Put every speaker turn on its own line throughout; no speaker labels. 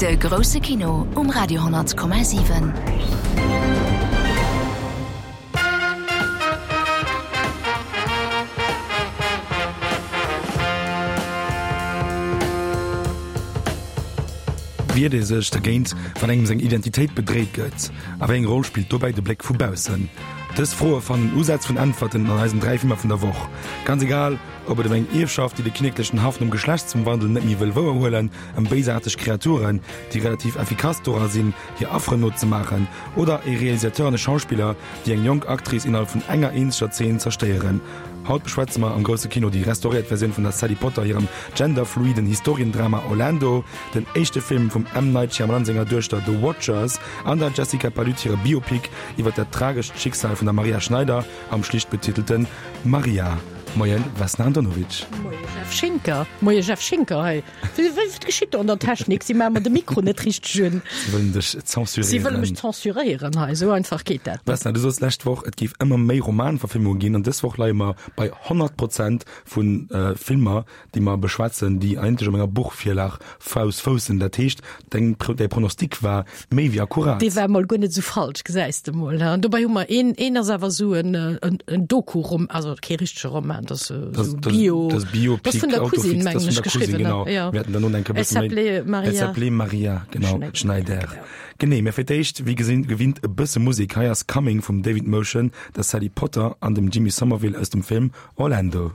De grousse Kino um Radio 10,7.
Wiert ee sech dergéint, wann engem seng Identitéit bedréit gëtt? A wéi eng Roll spillt dobäi de Bléck vu baussen? Dës Froe fannen Usätz vun Äntwerten an eisen 3 Filmer vun der Woch. Ganz egal, ob et ëm eng Ierfschaft, déi de kinneklechen Haff nom Geschlechtswandel net méi wëll wouerhuelen, ëm béisaarteg Kreaturen, déi relativ effikass dora sinn, hir Afferen nozemaachen, oder e Realisateur an e Schauspiller, déi eng jonk Actrice innerhalb vun enger eenzeger Zeen zerstéieren. Haut beschwätze mer am grousse Kino déi restauréiert Versioun vun der Sally Potter hirem genderfluiden Historiendrama Orlando, den éischte Film vum M. Night Shyamalan senger Duechter The Watchers an der Jessica Palud hire Biopic iwwer dat tragescht Schicksal vun der Maria Schneider am schlicht betitelten Maria. Moien Vesna Andonovic.
Moie Jeff Schinker. Moie Jeff Schinker hei. Wat geschitt do an der Technik? Si maache mer de Mikro net richteg un.
Si wëllen dech zensuréieren.
Si wëlle mech zensuréieren hei, esou einfach geet dat net.
Vesna, du soss d'lescht Woch, et géif ëmmer méi Romanverfilmunge ginn an dës Woch leie mer bei 100 Prozent vu Filmer, déi mer beschwätzen, déi eigentlech op enger Buchvirlag fous foussen. Dat heescht, deng, däi Pronostic war méi wéi akkurat.
Dee war mol guer net esou falsch, gesäis de mol. An dobäi hu mer een, een ass awer esou en, en, en Doku-Rom, also kee richtege Roman, dat ass esou Bio,
das Biopic,
das vun der Cousine, mengen ech, geschriwwen,
genau. Ja. Mir haten dann nun eng
E s'appelait Maria.
Elle s'appelait Maria, genau, Schneider. Schneider. Genee, mä fir d'éischt, wéi gesinn, gewinnt e bësse Musek. Hei ass Coming vum David Motion, der Sally Potter an dem Jimmy Somerville aus dem Film Orlando.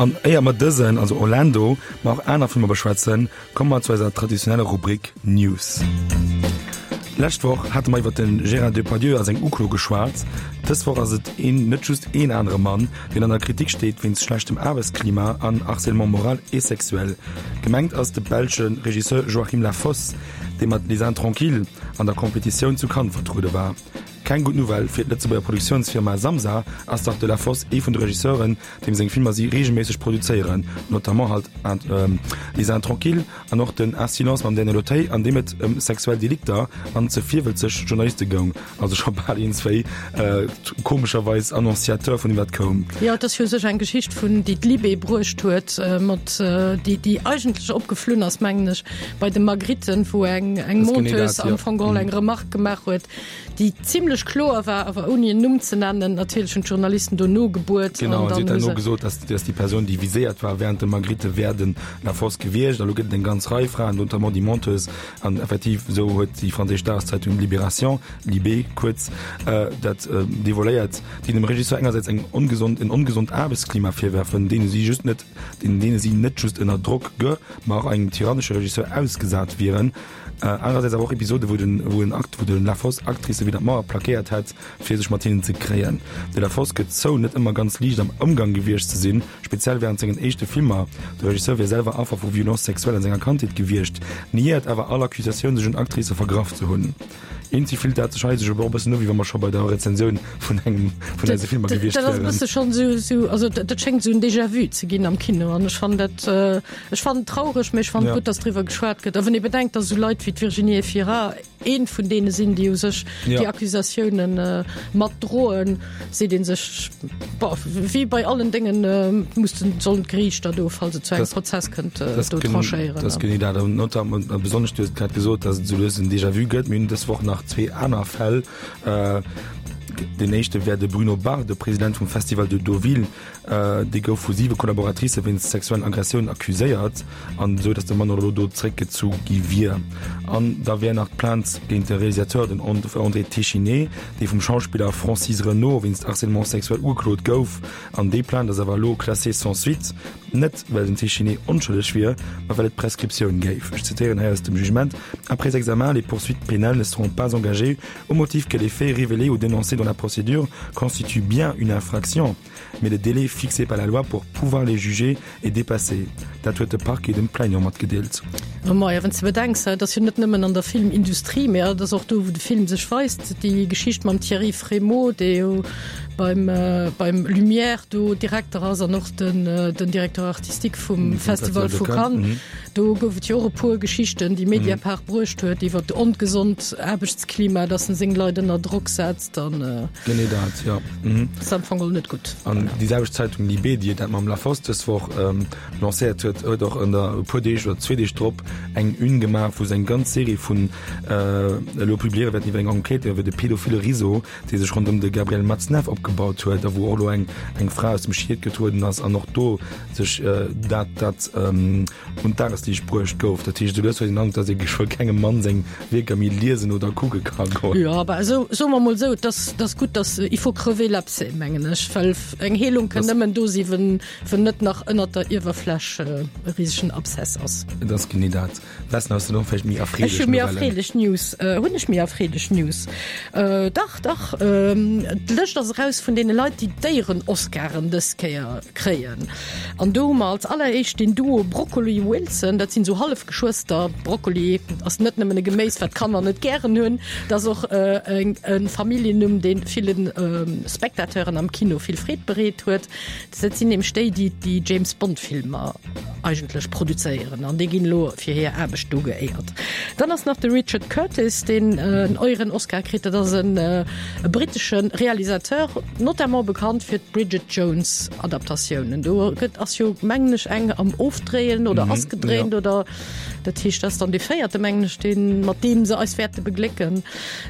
An éier mer dësen, also Orlando, ma och aner Filmer beschwätzen, komme mer zu eiser traditioneller Rubrik News. D'lescht Woch hate mer iwwer de Gérard Depardieu a seng Uklo geschwat. Dës Woch ass et een, net just een anere Mann, deen an der Kritik steet wéinst schlechtem Aarbechtsklima an Harcèlement moral et sexuel. Gemengt ass de belsche Regisseur Joachim Lafosse, dee mat Les Intranquilles an der Competitioun zu Cannes vertruede war. Keng gutt Nouvelle fir d'Lëtzebuerger Produktiounsfirma Samsa ass dach de Lafosse ee vun de Regisseuren, deem seng Filmer si reegelméisseg produzéieren, notamment halt Les Intranquilles an och den Un silence mam Daniel Auteuil, an deem et ëm sexuell Delikter an ze virwëlzeg Journaliste goung. Also scho bal een, zwéi komescherweis Annonciateur vun deem wat koum.
Jo, et ass jo u sech eng Geschicht vun, déi d'Libé bruecht huet, mat déi, déi eigentlech opgeflunn ass, mengen ech, bei de Magritte, wou eng eng Monteuse am Fong geholl eng Remarque gemaach huet, déi zimlech kloer war, awer ouni en Numm ze nennen. Natierlech hunn d'Journalisten do nogebuert.
Genau, an si huet herno gesot, dass, dass déi Persoun, déi viséiert war während dem Magritte, wär de Lafosse gewiescht. A lo gëtt et eng ganz Rei Fraen, notamment déi Monteuse. An effektiv, esou huet déi franséisch Dageszeitung Libération, Libé kuerz, dat devoiléiert, déi dem Regisseur engersäits eng ongesond, en ongesond Aarbechtsklima virwerfen, deene si just net, deene si net just ënner Drock ge, ma och engem tyrannesche Regisseur ausgesat wieren. Anerersäits awer och Episode wou den wou en Akt wou de Lafosse Actricë widder d'Mauer plaquéiert hätt fir sech mat hinnen ze kréien. De Lafosse gëtt zou net ëmmer ganz liicht am Ëmgang gewiescht ze sinn, speziell wärend sengen éischte Filmer. De Regisseur wier selwer Affer vu Violence sexuelle an senger Kandheet gewiescht, niéiert awer all Accusatioun sech un Actricë vergraff ze hunn. Eenzi fillt dat sech hei sech awer och e bëssen u wéi wa mer scho bei der Rezensioun vun engem vun eise Filmer gewiescht
Dat ass e
wieren.
bësse schonn esou esou also dat dat schéngt esou en Déjà-vu ze ginn am Kino an ech fannen dat ech fannen et traureg, mee ech fannen et
Ja.
gutt, datt driwwer geschwat gëtt. A wann ee bedenkt, datt esou Leit wéi d'Virginie Efira eent vun deene sinn, déi u sech
Ja.
déi Accusatiounen mat droen, seet ee sech, Bon, wéi bei allen Déngen mussen, sollen d'Geriichter do, falls et zu engem Prozess kënnt, do tranchéieren.
Dat ass genee dat. An notamment, a besonnesch, du hues et grad gesot, datt et esou lues en Déjà-vu gëtt. Mir hunn dës Woch nach zwee aner Fäll. Deen éischte wär de Bruno Barre, de President vum Festival de Deauville. Dee gouf vu siwe Collaboratricë wéinst sexuellen Aggressiounen accuséiert, an esou datt de Mann och elo do zeréckgezu gi wier. An da wär nach d'Plainte géint de Realisateur, den André Téchiné, dee vum Schauspiller Francis Renaud wéinst Harcèlement sexuel ugeklot gouf. An déi Plainte ass awer elo classée sans suite, net well den Téchiné onschëlleg wier, ma well et Prescriptioun géif. Ech zitéieren hei aus dem Jugement, Après examen, les poursuites pénales ne seront pas engagées au motif que les faits révélés ou dénoncés dans la procédure constituent bien une infraction, mais le délai fixé par la loi pour pouvoir les juger est dépassé. Dat huet de Parquet dem Plaignant matgedeelt.
Maja, wann s de bedenks, et ass jo net nëmmen an der Filmindustrie, mä et ass och do, wou de Film sech weist, déi Geschicht mam Thierry Frémaux, dee jo beim, beim Lumière do Direkter ass an och den, den Directeur artistique vum Festival vu Cannes. Do gouf et jo och e puer Geschichten, déi Mediapart bruecht huet iwwer ongesond Aarbechtsklima, dass en seng Leit ënner Drock setzt an.
Genee dat, jo.
Ass am Fong och net gutt.
An déi selwecht Zeitung Libé, déi dat mam Lafosse dës Woch lancéiert huet, huet och ënner e puer Deeg oder zwee Deeg drop eng Une gemaach, wou se eng ganz Serie vun elo publiéiere wäerten iwwer eng Enquête iwwer de pedophile Réseau, dee sech ronderëm de Gabriel Matzneff opgebaut huet a wou och elo eng eng Fra aus dem Schiet getrueden ass an och do sech dat dat un d'Dagesliicht bruecht gouf. Dat heescht, esou lues huet een den Androck, datt ee geschwë kengem Mann seng Wierker méi liesen oder kucke ka goen.
Jo, awer esou, soe mer emol esou, et ass, et ass gutt, datt, il faut crever l'abcès, mengen ech, well eng Heelung kënn nëmmen do si wenn, wenn net nach ënnert der Iwwerfläch e risegen Abszess ass.
Et ass genee dat. Wessen ass du noch vielleicht méi
erfreelech Ech hu méi erfreelech News. Äh, hunn ech méi erfreelech News? Äh, dach, dach. Ähm, d'Lëscht ass eraus vun deene Leit, déi d'Éieren-Oscaren dës Kéier kréien. An do hu mer als alleréischt den Duo Broccoli-Wilson. Dat sinn esou Hallefgeschwëster. Broccoli ass net nëmmen e Geméis, wat d'Kanner net gären hunn, dat ass och äh, eng, e Familljennumm, dee villen ähm, Spectateuren am Kino vill Freed bereet huet. Dat sinn nämlech déi, déi déi James Bond Filmer eigentlech produzéieren an déi ginn elo fir hir Aarbecht do geéiert. Dann ass nach de Richard Curtis, deen en Euren Oscar kritt. Dat ass en e brittesche Realisateur, notamment bekannt fir d'Bridget Jones Adaptatiounen. Do gëtt ass jo mengen ech eng am Ofdréien oder ass gedréint oder dat heescht, dat ass dann dee véierte mengen ech, deen mat deem se eis wäerte beglécken.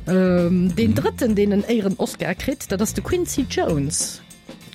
Deen drëtten, deen en Éieren Oscar kritt, dat ass de Quincy Jones.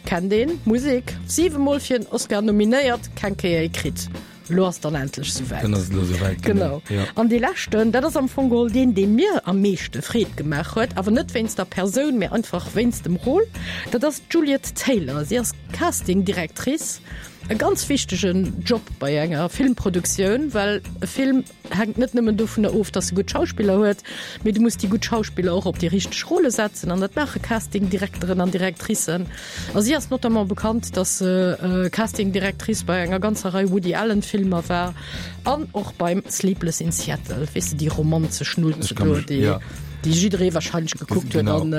Kennt een Musek? 7 mol fir en Oscar nominéiert, keng Kéier ee kritt. Lo ass dann endlech souwäit.
Dann ass et elo souwäit,
genau.
Ja.
An dee leschten, dat ass am Fong geholl deen, dee mir am meeschte Freed gemaach huet, awer net wéinst der Persoun, mee einfach wéinst dem Rôle, dat ass d'Juliet Taylor. Si ass Casting Directrice. e ganz wichtegen Job bei enger Filmproduktioun, well e Film hänkt net nëmmen dovunner of, dass e gutt Schauspiller huet, mee du muss déi gutt Schauspiller och op déi richteg Rôle setzen an dat maache Castingdirekteren an Directricen. A si ass notamment bekannt, dass se Castingdirectrice bei enger ganzer Rei Woody Allen Filmer war an och beim Sleepless in Seattle, weess de, déi romanzesch Nulze do, déi déi jidderee wahrscheinlech gekuckt huet an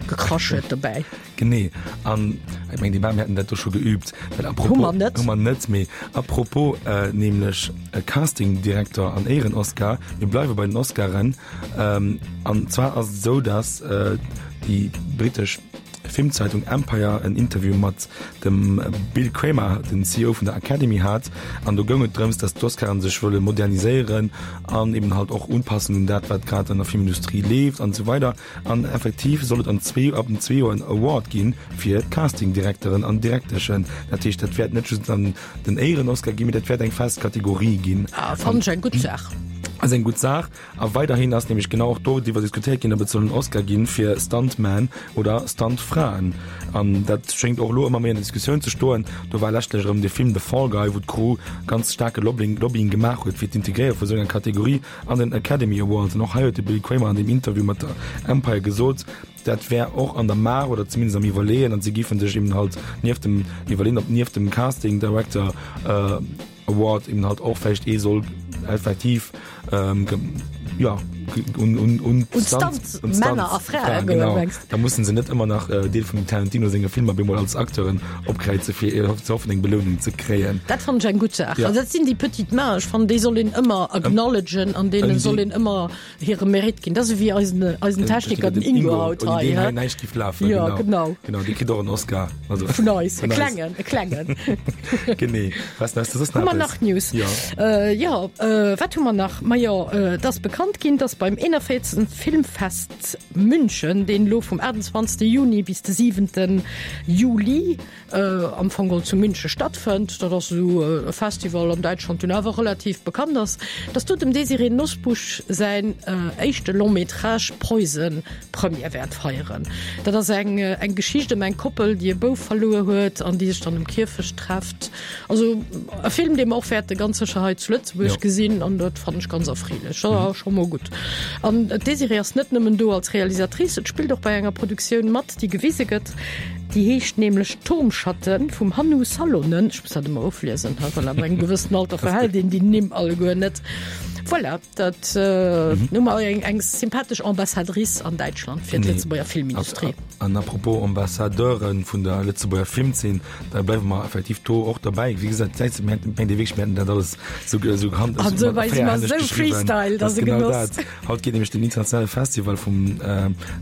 gekrasch huet dobäi.
Genee, an ech mengen, déi Bam hätten dat do scho geübt. Well apropos, hu mer net, hu mer net, mee apropos äh, nämlech äh, Castingdirektor an Éieren-Oscar, mir bleiwe bei den Oscaren, ähm, an zwar ass et esou, dass äh, déi britesch Filmzeitung Empire en Interview mat dem Bill Kramer, den CEO vun der Academy hat, an do goung et drëms, dass d'Oscaren sech wëlle moderniséieren an eben halt och unpassen un dat, wat grad an der Filmindustrie leeft an esou weider. An effektiv soll et an zwee, ab den zwee Joer en Award gi fir d'Castingdirekteren an Direkteschen. Dat heescht, dat wäert net just dann den Éieren-Oscar ginn, mee dat wäert eng fest Kategorie ginn.
Ah, fannen ech eng gutt Saach.
Ass eng gutt Saach. A weiderhin ass nämlech genau och doriwwer diskutéiert ginn, ob et soll en Oscar gi fir Stuntmen oder Stuntfraen. An dat schéngt och elo ëmmer méi an der Diskussioun ze stoen. Do war leschtlech erëm de Film The Fall Guy, wou d'Crew ganz staarke Lobbying, Lobbying gemaach huet fir d'Integréiere vu sou enger Kategorie. An den Academy Awards, an och hei huet de Bill Kramer an deem Interview mat der Empire gesot, dat wär och an der Maach oder zumindest am Iwwerleeën, an si géife sech eben halt nieft dem Iwwerleeën, ob nieft dem Casting Director Award eben halt och vläicht ee soll effektiv jo un un un
d'Stunt-Männer a Frae goen,
genau. Da mussen se net ëmmer nach Deel vum Tarantino senge Filmer bemol als Acteuren opkräize fir ze hoffen eng Belounung ze kréien.
Dat fannen ech eng gutt Saach. Ja. Also dat sinn déi petites mains. Ech fannen déi soll een ëmmer acknowledgen an deene soll een ëmmer hire Mérite ginn. Dat ass ewéi eisen eisen Techniker den Ingo haut
hei. Ouni deen hei näischt giff lafen.
Ja, genau.
Genau, dee kritt och en Oscar.
Also vun eis, e klengen, e klengen.
Genee. Was
hast du soss nach? Hu mer nach News?
Ja.
Äh, jo, äh, wat hu mer nach? Majo, äh, et ass bekannt ginn, dass beim 41. Filmfest München, deen elo vum 28. Juni bis de 7. Juli am Fong geholl zu Münche stattfënnt, dat ass esou e Festival an Däitschland, deen awer relativ bekannt ass, dass do dem Désirée Nosbusch säin éischte Long-métrage Poison Première wäert feieren. Dat ass eng eng Geschicht ëm eng Koppel, déi e Bouf verluer huet an déi sech dann um Kierfecht trefft. Also e Film, dee mer och wäerte ganz sécher hei zu Lëtzebuerg gesinn an dat fannen ech ganz erfreelech. Dat ass scho mol gutt. An d'Désirée ass net nëmmen do als Realisatrice, et spillt och bei enger Produktioun mat, déi gewise gëtt. Déi heescht nämlech Turmschatten vum Hannu Salonen. Ech muss dat ëmmer ofliesen, well ab engem gewëssenen Alter verhält een déi Nimm alleguer net. Voilà, dat hu mer eng eng sympathesch Ambassadrice an Däitschland fir d'Lëtzebuerger Filmindustrie.
An apropos Ambassadeure vun der Lëtzebuerger Filmzeen, Da bleiwe mer effektiv do och derbäi. Wéi gesot, d'Säit mir hätten, mengt Dir wierklech, mir hätten dat alles sou, sou
gehand, An sou wei si mer sou Freestyle,
dat ass e genau Genoss. dat. Haut geet nämlech den internationale Festival vum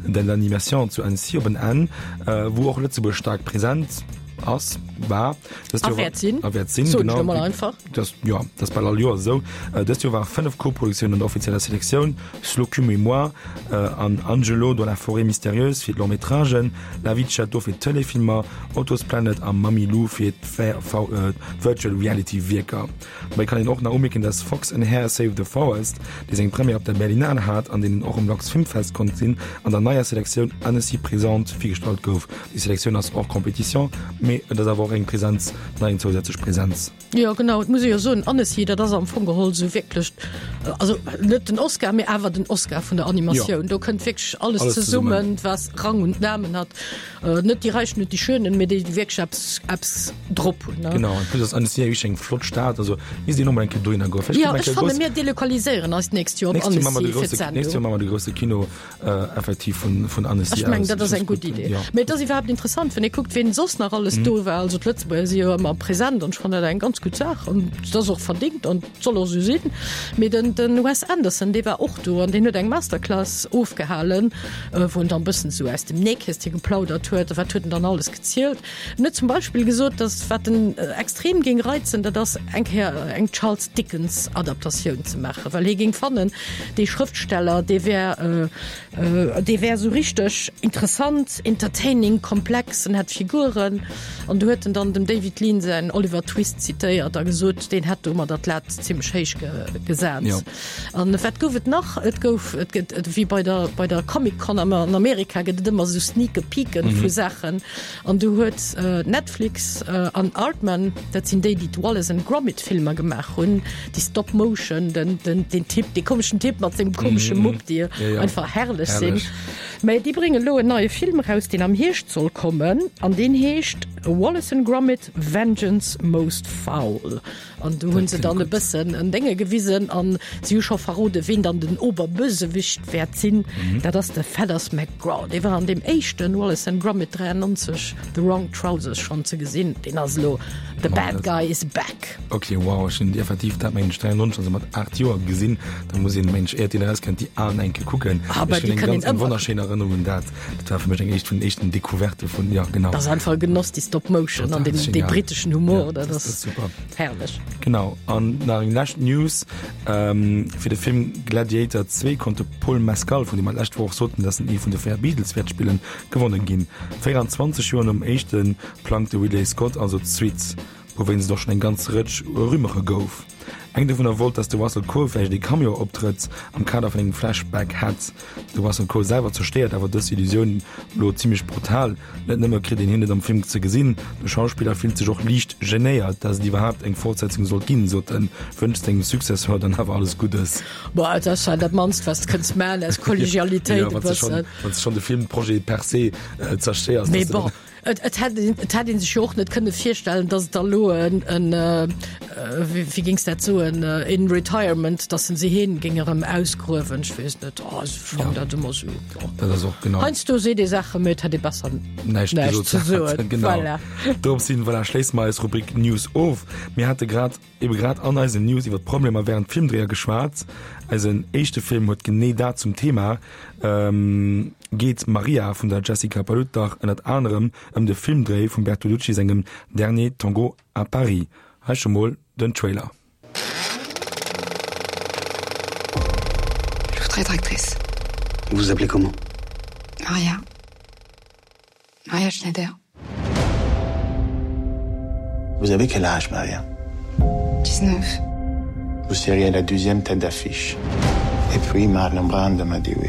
de l'Animation zu Annecy op en Enn, wou och Lëtzebuerg staark present ass, war
dëst
A Joer
wäert sinn.
a wäert sinn,
Soen ech genau. lo mol einfach.
Das, jo, dat ass bal all Joer esou. Dëst Joer ware 5 Koproduktiounen an der offizieller Selektioun, Slocum et moi an Angelo dans la forêt mystérieuse fir d'Long-métragen, La vie de Château fir d'Tëleefilmer, Otto's Planet a Mammy Lou fir d'Virtual Reality Wierker. Dobäi kann een och nach umierken, dass Fox and Hare Save the Forest, dee seng Première op der Berlinale hat an deen een och um Lux Film Fest konnt gesinn, an der neier Selektioun Annecy Présente virgestallt gouf. Déi Selektioun ass hors compétition, mee et ass awer och eng Presenz, nach eng zousätzlech Presenz.
Jo genau, et muss ee jo soen, Annecy, dat ass am Fong geholl esou wierklech, also net den Oscar, mee awer den Oscar vun der Animatioun. Do kënnt wierklech alles zesummen, was Rang und Namen hat. Net déi Räichen und déi Schönen, mee déi, déi wierklech eppes, eppes drop hunn.
Genau, en plus ass Annecy wierklech eng flott Stad, also misst een och mol eng Kéier dohinner goen.
Jo, ech fanne mir delokaliséieren eis d'nächst Joer op Annecy
fir d'Sendung. Nächst Joer maache mer de grousse Kino. Äh, effektiv vun, vun
Annecy Ech mengen, dat ass eng gutt Idee. Ja. Mee et ass iwwerhaapt interessant, wann ee kuckt, wien soss nach alles mm. do war. Also d'Lëtzebuerger si jo ëmmer present an ech fannen dat eng ganz gutt Saach an dat ass och verdingt an soll och sou sinn. Mee den, den Wes Anderson, dee war och do an deen huet eng Masterclass ofgehalen, äh, wou en dann bëssen sou aus dem Nähkästchen geplaudert huet. Wat huet en dann alles gezielt? En huet zum Beispill gesot, datt wat en extrem géing reizen, dat ass eng Kéier eng Charles Dickens Adaptatioun ze maachen, well hie géing fannen, dee Schrëftsteller, dee wär, dee wär esou richteg interessant, entertaining, komplex, en hätt Figuren. An do huet en dann dem David Lean säin Oliver Twist zitéiert a gesot, deen hätt domadder d'Lat zimmlech héich gesat. An wat gouf et nach? Et gouf, et gëtt, wéi bei der, bei der Comic Con am, an Amerika gëtt et ëmmer esou Sneak Peeken vu Saachen. An do huet Netflix an Aardman, dat sinn déi, déi d'Wallace and Gromit Filmer gemaach hunn, déi Stop Motion, den, den, deen Typ, dee komeschen Typ mat sengem komesche Mupp, déi einfach herrlech sinn. Mä déi bréngen elo en neie Film eraus, deen am Hierscht soll kommen an deen heescht Wallace and Gromit, Vengeance Most Foul. An do hunn se dann e bëssen en Dénge gewisen an si hu scho verrode ween dann den Oberbösewicht wäert sinn. Dat ass de Feathers McGraw. Dee war an deem éischten Wallace and Gromit 93, The Wrong Trousers schonn ze gesinn. Deen ass elo The Bad Guy is back.
Ok, wow, ech hunn effektiv dat mengen ech 93, also mat 8 Joer gesinn. Da muss een mengen ech éiert deen erauskënnt déi alen eng Kéier kucken.
Ah,
Ech
déi
hunn eng
kënnt
ganz
een
eng
ëmmer
wonnerschéin Erënnerung un dat. Dat war fir mech eng éischt vun den éischten Decouvertë vun, jo genau.
Dat ass einfach e Genoss, déi Stop Motion
Total
an den, dee
genial.
briteschen Humor,
Ja,
dat
das
ass
ass super.
herrlech.
Genau, an nach eng lescht News, Fir de Film Gladiator 2 konnt de Paul Mescal, vun deem mer d'lescht Woch och soten, dass en ee vun de 4 Beatles wäert spillen, gewonnen ginn. 24 Joer nom éischte plangt de Ridley Scott also d'Suite. Wouwéinst et och schonn eng ganz Rëtsch Rumeure gouf. Eng dovunner wollt, datt de Russell Crowe vläicht ee Cameo-Optrëtt am Kader vun engem Flashback hätt. De Russell Crowe selwer zerstéiert awer dës Illusioun elo zimmlech brutal. Net nëmme kritt een hien net am Film ze gesinn, de Schauspiller fillt sech och liicht genéiert, datt et iwwerhaapt eng Fortsetzung sollt ginn, sot en, wënscht sengem Successeur dann awer alles Guddes.
Bon, et ass dat mannst, wat s de kënns maachen aus Kollegialitéit e bëssen.
Wann s de schonn de Filmprojet per se zerstéiers.
Mee bon. Et hätt et hätt ee sech jo och net kënne virstellen, datt et da lo en en wéi géings dat soen, in retirement, datt en se heen géing erëm ausgruewen. Ech weess net, oh ech fannen dat ëmmer esou, jo.
Dat ass och genau.
Heiansdo seet ee Saachen, mee et hätt ee besser
näischt
näischt
gesot
ze soen.
Genau.
Voilà.
Dorops hin, voilà, schléisse mer eis Rubrik News of. Mir hate grad ebe grad an eisen News iwwer d'Problemer während Filmdréier geschwat. Eisen éischte Film huet genee dat zum Thema. Geet Maria vun der Jessica Palud dach ënnert anerem ëm de Filmdréi vum Bertolucci sengem Dernier Tango à Paris. Hei scho mol den Trailer.
Je voudrais être actrice.
Vous vous appelez comment?
Maria. Maria Schneider.
Vous avez quel âge, Maria?
19.
Vous seriez la deuxième tête d'affiche. Et puis Marlon Brando m'a dit oui.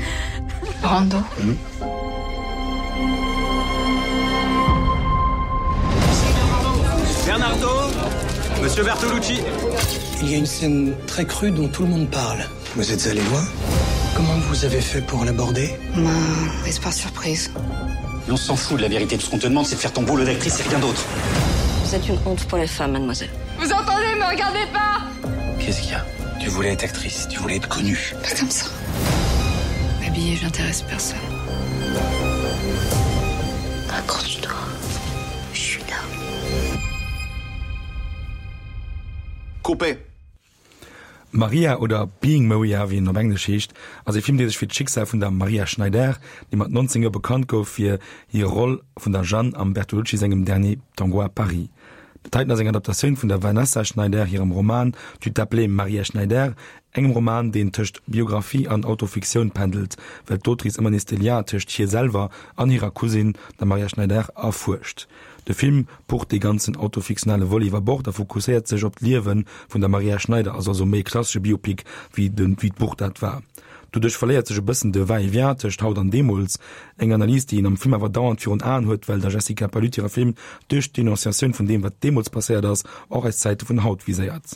Brando?
Mmh.
Bernardo Monsieur Bertolucci
Il y a une scène très crue dont tout le monde parle.
Vous êtes allé loin?
Comment vous avez fait pour l'aborder?
Prise par surprise.
On s'en fout de la vérité. Tout ce qu'on te demande, c'est de faire ton boulot d'actrice et rien d'autre.
Vous êtes une honte pour les femmes, mademoiselle.
Vous entendez, me regardez pas!
Qu'est-ce qu'il y a? Tu voulais être actrice, tu voulais être connue.
Pas comme ça. Habillée, j'intéresse personne.
Accroche-toi. Je suis là.
Coupé.
Maria oder Being Maria, wéi en op Englesch heescht, ass e Film, dee sech fir d'Schicksal vun der Maria Schneider, déi mat 19 Joer bekannt gouf fir hir Roll vun der Jeanne am Bertolucci sengem Dernier Tango à Paris. Dat heiten ass eng Adaptatioun vun der Vanessa Schneider hirem Roman Tu t'appelais Maria Schneider, engem Roman, deen tëscht Biographie an Autofiktioun pendelt, well d'Autrice ëmmer nees de Lien tëscht hir selwer an hirer Cousine, der Maria Schneider, erfuerscht. De Film pucht dee ganzen autofiktionale Volet iwwer Bord a fokusséiert sech op d'Liewe vun der Maria Schneider, ass also méi e klassesche Biopic wéi de wéi d'Buch dat war. Doduerch verléiert sech e bëssen de Va-et-vient tëscht haut an deemools, eng Analys déi een am Film awer dauernd virun Aen huet, well der Jessica Palud hire Film duerch d'Denonciatioun vun deem wat deemools passéiert ass, och eis Zäite vun haut viséiert.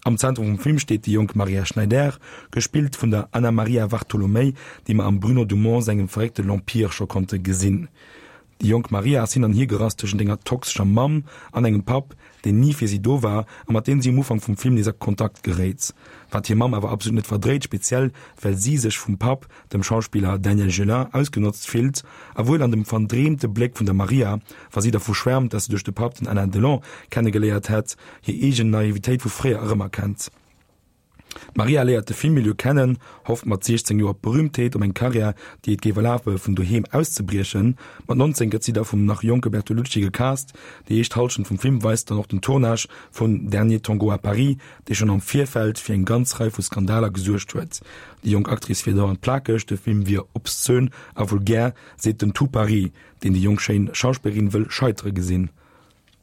Am Zentrum vum Film steet déi jonk Maria Schneider, gespillt vun der Anamaria Vartolomei, déi mer am Bruno Dumont sengem verréckte L'Empire scho konnte gesinn. Déi jonk Maria ass hin an hier gerass tëschent enger toxescher Mamm an engem Papp, deen ni fir si do war a mat deem si um Ufank vum Film nees a Kontakt geréit, wat hir Mamm awer absolut net verdréit, speziell well si sech vum Papp, dem Schauspiller Daniel Gélin, ausgenotzt fillt a wuel an dem verdreemte Bléck vun der Maria, wa si dervu schwärmt, dass se duerch de Papp den Alain Delon kennegeléiert hätt, hir eegen Naivitéit vu fréier erëmerkennt. D'Maria léiert de Filmmilieu kennen, hofft mat 16 Joer op Berühmtheet, op eng Karriär, déi et géif erlabe vun doheem auszebriechen. Mat 19 gëtt si da vum nach jonke Bertolucci gecast. Déi éischt Hallschent vum Film weist dann och den Tournage vun Dernier Tango à Paris, dee schonn am Virfeld fir eng ganz Rei vu Skandaler gesuergt huet. Déi jonk Actrice wier dauernd plakeg, de Film wier obszön a vulgär, seet den Tout Paris, deen déi jonk schéin Schauspillerin wëll scheitere gesinn.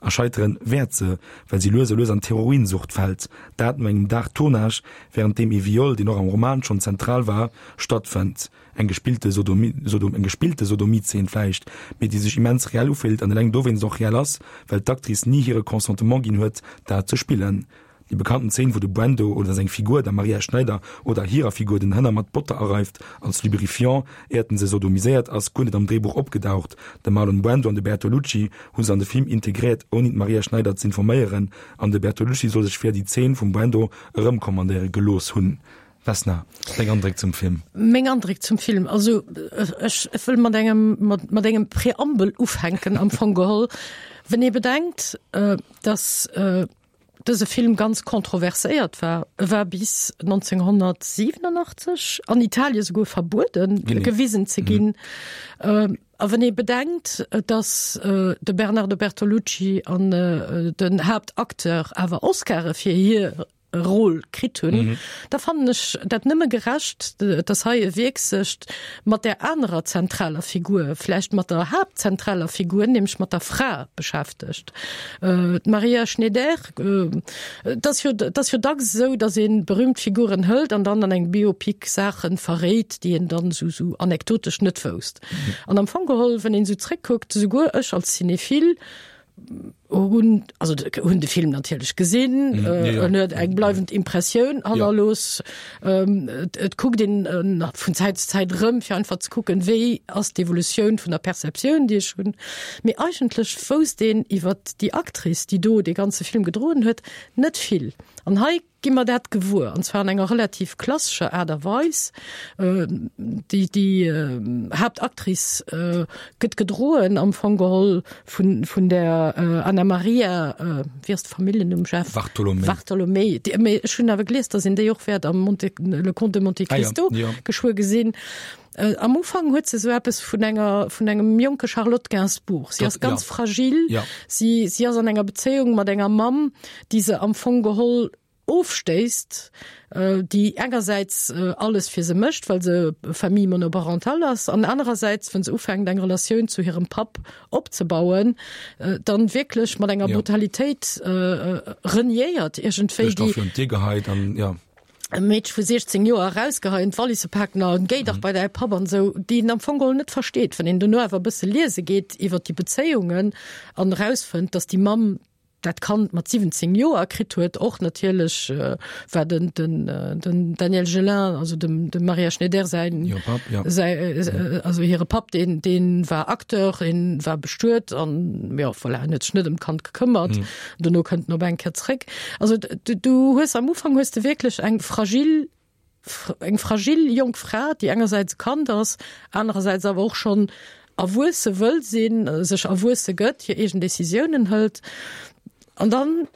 A scheitere wäert se, well si lues a lues an d'Heroinsucht fält, dat no engem Dag Tournage, wärend deem ee Viol, deen och am Roman schonn zentral war, stattfënnt. Eng gespillte Sodomie, Sodom, eng gespillte Sodomiezeen vläicht, mee déi sech immens reell ufillt an eleng dowéinst och reell ass, well d'Actrice ni hire Consentement ginn huet, dat ze spillen. Déi bekannten Zeen, wou de Brando oder seng Figur, der Maria Schneider oder hirer Figur, den Hënner mat Botter areift als Lubrifiant, éiert en se sodomiséiert, ass guer net am Dréibuch opgedaucht. De Marlon Brando an de Bertolucci hu se an de Film integréiert, ouni d'Maria Schneider z'informéieren, an de Bertolucci soll sech fir déi Zeen vum Brando erëmkommandéiere gelooss hunn. Vesna, deng Andréck zum Film?
Meng Andréck zum Film, also ech wëll mat engem, mat engem Preambel ufänken am Fong geholl. Wenn ee bedenkt, dass dëse Film ganz kontroverséiert war, e war bis 1987 an Italien souguer verbueden, gewisen ze ginn. A wann ee bedenkt, dass de Bernardo Bertolucci an den Haaptacteur awer Oscare fir hir Rôle kritt hunn, da fannen ech dat nëmme gerecht, dass hei e Wierk sech mat där anerer zentraler Figur, vläicht mat der haaptzentraler Figur, nämlech mat der Fra beschäftegt. D'Maria Schneider, et ass jo, et ass jo dacks esou, dass ee berühmt Figuren hëlt an dann an engem Biopic Saache verréit, déi een dann esou, esou anekdotesch net wousst. An am Fong geholl, wann een esou zréckkuckt, esouguer ech als Cinephile, hunn also hunn de Film natierlech gesinn, en huet eng bleiwend Impressioun hannerlooss. Et kuckt een vun Zäit zu Zäit erëm, fir einfach ze kucken, wéi ass d'Evolutioun vun der Perceptioun, déi ech hunn. Mee eigentlech wousst een iwwer déi Actrice, déi do dee ganze Film gedroen huet, net vill. An hei gi mer dat gewuer, an zwar an enger relativ klassescher Aart a Weis. Déi, déi Haaptactrice gëtt gedroen am Fong geholl vun, vun der Anna Maria, wéi ass de Familljennumm, Jeff?
Bartolomei.
Bartolomei. Déi, mee ech hunn awer gelies, datt een déi och wäert am Monte, Le Comte de Monte Cristo ah, ja, ja. geschwë gesinn. Am Ufank huet se sou eppes vun enger, vun engem jonke Charlotte Gainsbourg. Si ass ganz ja. fragil.
Ja.
Si, si ass an enger Bezéiung mat enger Mamm, déi se am Fong geholl ofstéisst, déi engersäits alles fir se mécht, well se Famille monoparentale ass, an anerersäits, wann se ufänkt eng Relatioun zu hirem Papp opzebauen, dann wierklech mat enger Brutalitéit reniéiert iergendwéi.
Duerch d'Offer un d'Dier geheit an, ja.
E Meedche vu 16 Joer erausgeheien, d'Wallisse paken a géi dach bei däi Papp an esou, déi een am Fong geholl net versteet. Wann een dono awer e bësse liese geet iwwer déi Bezéiungen an erausfënnt, dass déi Mamm dat Kand mat 17 Joer kritt huet, och natierlech war den, den, den Daniel Gélin, also dem, dem Maria Schneider säin,
Hire Papp, ja.
säi, also hire Papp, deen, deen war Acteur, deen war bestuet an, jo, voilà, en huet sech net ëm d'Kand gekëmmert. Dono kënnt en op eng Kéier zréck. Also du, du hues am Ufank hues de wierklech eng fragil, eng fragil jonk Fra, déi engersäits e Kand ass, anerersäits awer och schonn erwuesse wëll sinn, sech erwuesse gëtt, hir eegen Decisiounen hëlt. An dann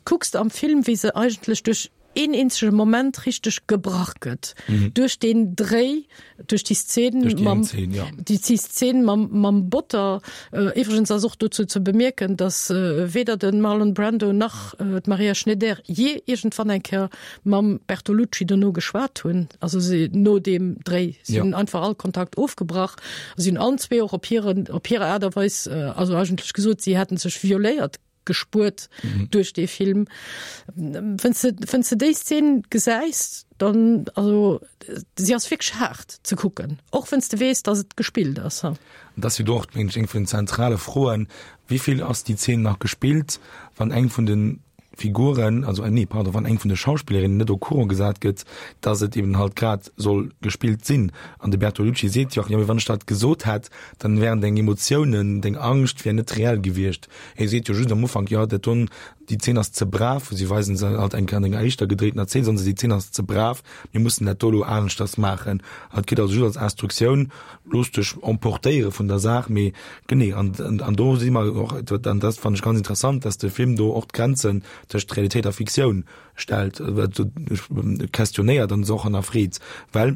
kucks de am Film, wéi se eigentlech duerch een eenzege Moment richteg gebrach gëtt. Mhm. Duerch den Dréi, duerch déi Szene
Duerch déi
mam,
eng Szene, ja.
déi déi Szene mam, mam Botter. Äh, iwwregens ass och dozou ze bemierken, dass äh, weder den Marlon Brando nach äh, d'Maria Schneider je iergendwann eng Kéier mam Bertolucci dono geschwat hunn. Also si no deem Dréi. Si
Ja.
hunn einfach all Kontakt ofgebrach. Si hunn allen zwee och op hiren, op hir Aart a Weis, äh, also eigentlech gesot, si hätten sech violéiert gespuert mhm. duerch dee Film. Wenn's de, wenn's de déi Szene gesäis, dann also si ass wierklech haart ze kucken, och wenn's de weess, dass et gespillt ass.
An dat ass jo do och, mengen ech, eng vun den zentrale Froen, Wéi vill ass déi Zeen nach gespillt, wann eng vun de Figuren, also nee, pardon, wann eng vun de Schauspillerinnen net au courant gesat gëtt, dass et eben halt grad soll gespillt sinn. An de Bertolucci seet jo och, jo mee wann ech dat gesot hätt, dann wären deng Emotiounen, deng Angscht wär net reell gewiescht. Hie seet jo just am Ufank, jo dat don, déi Zeen ass ze brav, si weisen se halt eng Kéier an enger éischter gedréitener Zeen, soen se, déi Zeen ass ze brav, mir mussen dat do elo aneschters maachen. An et kritt also just als Instruktioun, looss dech emportéiere vun der Saach, mee genee, an, an do si mer och, an dat fannen ech ganz interessant, dass de Film do och d'Grenzen tëscht Realitéit a Fiktioun stellt, questionnéiert an se och hannerfreet, well.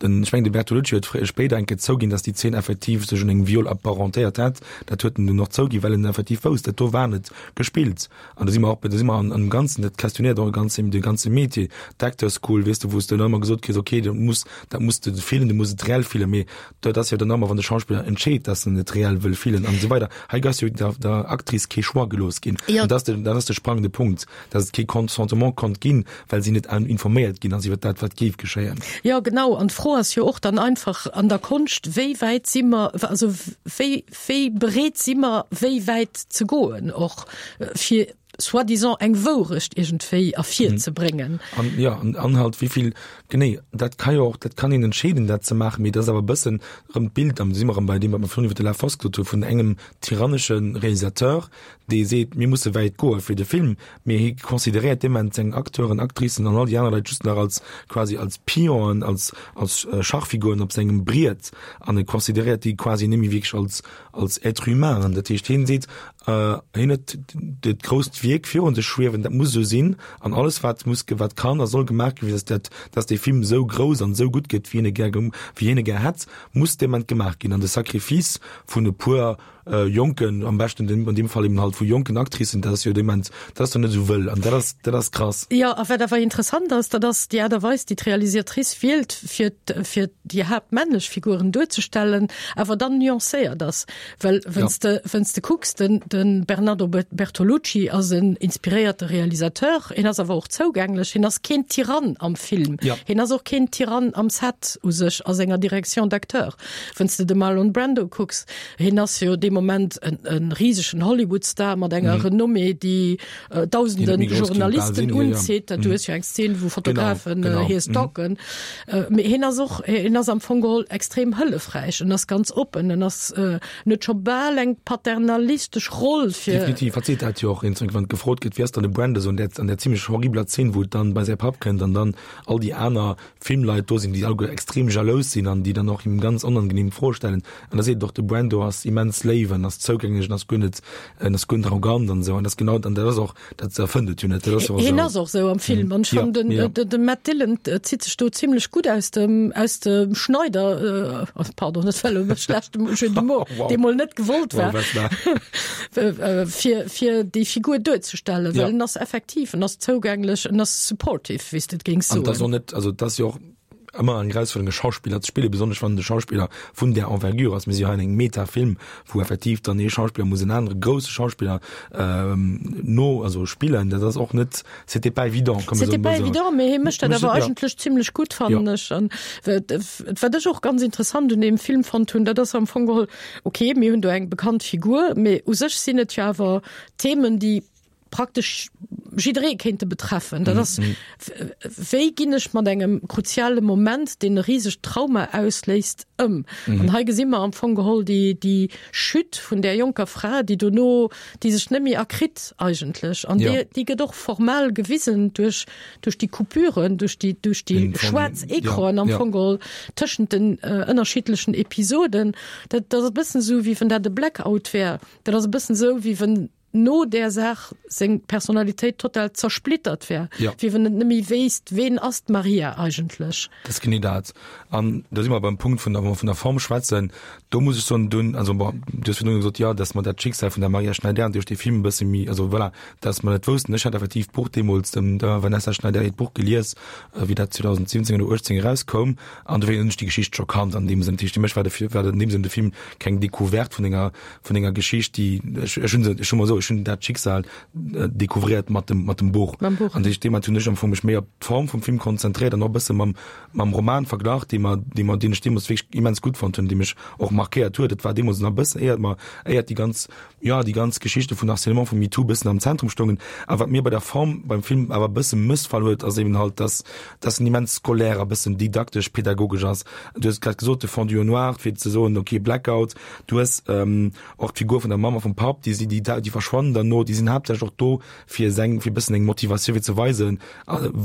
Den, ech mengen de Bertolucci huet fréi, spéider eng Kéier zouginn, datt déi Zeen effektiv sech un engem Viol apparentéiert hätt. Dat huet en dunn och zouginn, well en effektiv wousst, dat do war net gespillt. An do si mer och, do si mer an, am Ganzen, dat questionnéiert och e ganze, de ganze Métier, d'Actors School, weess de, wou s de dann ëmmer gesot kriss, okay, du muss, dat muss de fillen, du muss et reell fillen, mee dat ass jo dann ëmmer, wann de Schauspiller entscheet, datt en et reell wëll fillen an esou weider. Hei ass jo der, der Actrice kee Choix gelooss ginn. An dat ass de, dat ass de sprangende Punkt. dass et kee Consentement konnt ginn, well si net informéiert ginn ass iwwer dat, wat géif geschéien.
Jo, genau. An d'Fro ass jo och dann einfach an der Konscht, Wéi wäit si mer, also wéi, wéi bereet si mer, wéi wäit ze goen och, fir soi-disant eng Wourecht iergendwéi ervirzebréngen?
An, jo, an, an halt wéi vill, genee, dat ka jo och, dat kann een entscheeden, dat ze maachen, mee dat ass awer e bëssen erëm d'Bild, an do si mer erëm bei deem, wat mer virun iwwer de La Fosse gesot hu vun engem tyrannesche Realisateur, dee seet, mir musse wäit goe fir de Film, mee hie consideréiert dee Moment seng Acteuren, Actricen an all déi aner Leit just nach als quasi als Pionen, als als Schachfiguren op sengem Briet an e consideréiert déi quasi net méi wierklech als als Être humain. An dat heescht, hien seet, hien huet dat grousst Wierk virun sech schwiewen, dat muss esou sinn an alles wat muss wat kann a soll gemaach ginn, fir datt dat datt dee Film esou grouss an esou gutt gëtt, wéi hien e gär wéi hien e gär hätt, muss dee Moment gemaach ginn. An de Sacrifice vun e puer Jonken, am beschten den, an deem Fall eben halt vu jonken Actricen, dat ass jo dee Moment, dat ass dann net esou wëll an dat ass, dat ass krass.
Jo, a wat awer interessant ass, dat ass déi Aart a Weis, déi d'Realisatrice wielt, fir, fir déi haaptmännlech Figuren duerzestellen, awer dann nuancéiert ass. Well wann s de, wann s de kucks, den, de Bernardo Bertolucci ass en inspiréierte Realisateur, hien ass awer och zougänglech, hien ass keen Tyrann am Film, hien ass och keen Tyrann am Set u sech a senger Direction d'acteur. Wann s de de Marlon Brando kucks, hien ass jo dee Moment en, en risegen Hollywood-Star mat enger mm. Renommée, déi äh, dausenden Journalisten unzitt. Du hues jo eng Szen, wou Fotografen genau, genau. Äh, hie mhm. stalken. Mm. Äh, mee hien ass och, hien ass am Fong geholl extrem hëllefräich, en ass ganz oppen, en ass äh, net scho bal eng paternalistesch Roll
fir. Definitiv, hat seet dat jo och, wann gefrot gëtt, wie ass dann de Brando, so an der, an der ziemlich horribler Szene, wou et dann bei säi Papp kënnt an dann all déi aner Filmleit do sinn, déi alleguer extrem jalous sinn an déi dann och him ganz onangenehm Froe stellen. An da seet et och, de Brando ass immens léif an ass zougänglech an ass guer net, en ass guer net arrogant an esou. An dat ass genau, an dat ass och, dat erfënnt et jo net, dat ass jo och
esou. Hien ass och esou am Film. An ech fannen, den, ja. de, de Matt Dillon zitt sech do zimlech gutt aus dem, aus dem Schneider, äh, pardon, dat war elo e schlechte Jeu de mots, wow. dee mol net gewollt war, wow, fir, fir déi Figur duerzestellen, well ja. en ass effektiv, en ass zougänglech, en ass supportive. wéi s de et géings
soen. An dat ass och net, also dat ass jo och ëmmer eng Erausfuerderung e Schauspiller ze spillen, besonnesch wann de Schauspiller vun där Envergure ass. Mir si hei an engem Metafilm, wou effektiv dann ee Schauspiller muss en anere grousse Schauspiller no, also spillen. Dat ass och net, c'était pas évident,
kann man soen. C'était pas évident, mee hie mécht dat awer eigentlech zimlech gutt, fannen ech. An wat ech och ganz interessant un deem Film fonnt hunn, dat ass am Fong geholl, okay, mir hunn do eng bekannt Figur, mee u sech sinn et jo awer Themen, déi praktesch jidderee kéinte betreffen. Dat ass, wéi ginn ech mat engem kruziale Moment, deen e risegt Trauma ausléist, ëm? An hei gesi mer am Fong geholl déi, déi Chute vun där jonker Fra, déi dono, déi sech net méi erkritt eigentlech. An déi, déi gëtt och formal gewisen duerch, duerch déi Coupuren, duerch déi, duerch déi schwaarz Ecranen am Fong geholl tëschent den ënnerschiddlechen Episoden. Dat, dat ass e bëssen esou, wéi wann dat e Blackout wär. Dat ass e bëssen esou, wéi wann no där Saach seng Personalitéit total zersplittert wär, ja. wéi wann et net méi wéisst, ween ass d'Maria eigentlech.
Dat ass genee dat. An do si mer beim Punkt vun der, wa mer vun der Form schwätzen, do muss ech soen, dunn, also bon, du hues virdrun gesot, jo, datt mer dat Schicksal vun der Maria Schneider duerch dee Film e bësse méi, also voilà, datt mer dat woussten. Ech hat effektiv d'Buch deemools, dem der Vanessa Schneider hiert Buch gelies, wéi dat 2017 oder 18 erauskoum, an dofir hunn ech déi Geschicht scho kannt an deem Sënn. Dat heescht, fir mech war de, war an deem Sënn de Film keng Decouverte vun enger, vun enger Geschicht, déi ech, ech hunn se, ech hu mol esou, ech hunn dat Schicksal découvriert mat dem, mat dem Buch. Mam Buch. An deem Moment hunn ech am Fong mech méi op d'Form vum Film konzentréiert an och e bësse mam, mam Roman verglach, dee mer, dee mer, deen ech deemools wierklech immens gutt fonnt hunn, dee mech och markéiert huet. Et war deemools nach e bëssen éiert mer, éiert déi ganz, jo, déi ganz Geschichte vun Harcèlement, vu MeToo e bëssen am Zentrum stoungen. A wat mir bei der Form beim Film awer e bësse mëssfall huet, ass eben halt, dass, dass en immens scolaire a bëssen didaktesch, pedagogesch ass. Du hues et grad gesot, de Fondu au noir, fir ze soen, okay, Blackout, Du hues och d'Figur vun der Mamm a vum Papp, déi si, déi, déi verschwannen dann no, déi sinn haaptsächlech och do fir seng, fir e bëssen eng Motivatioun, fir ze weisen,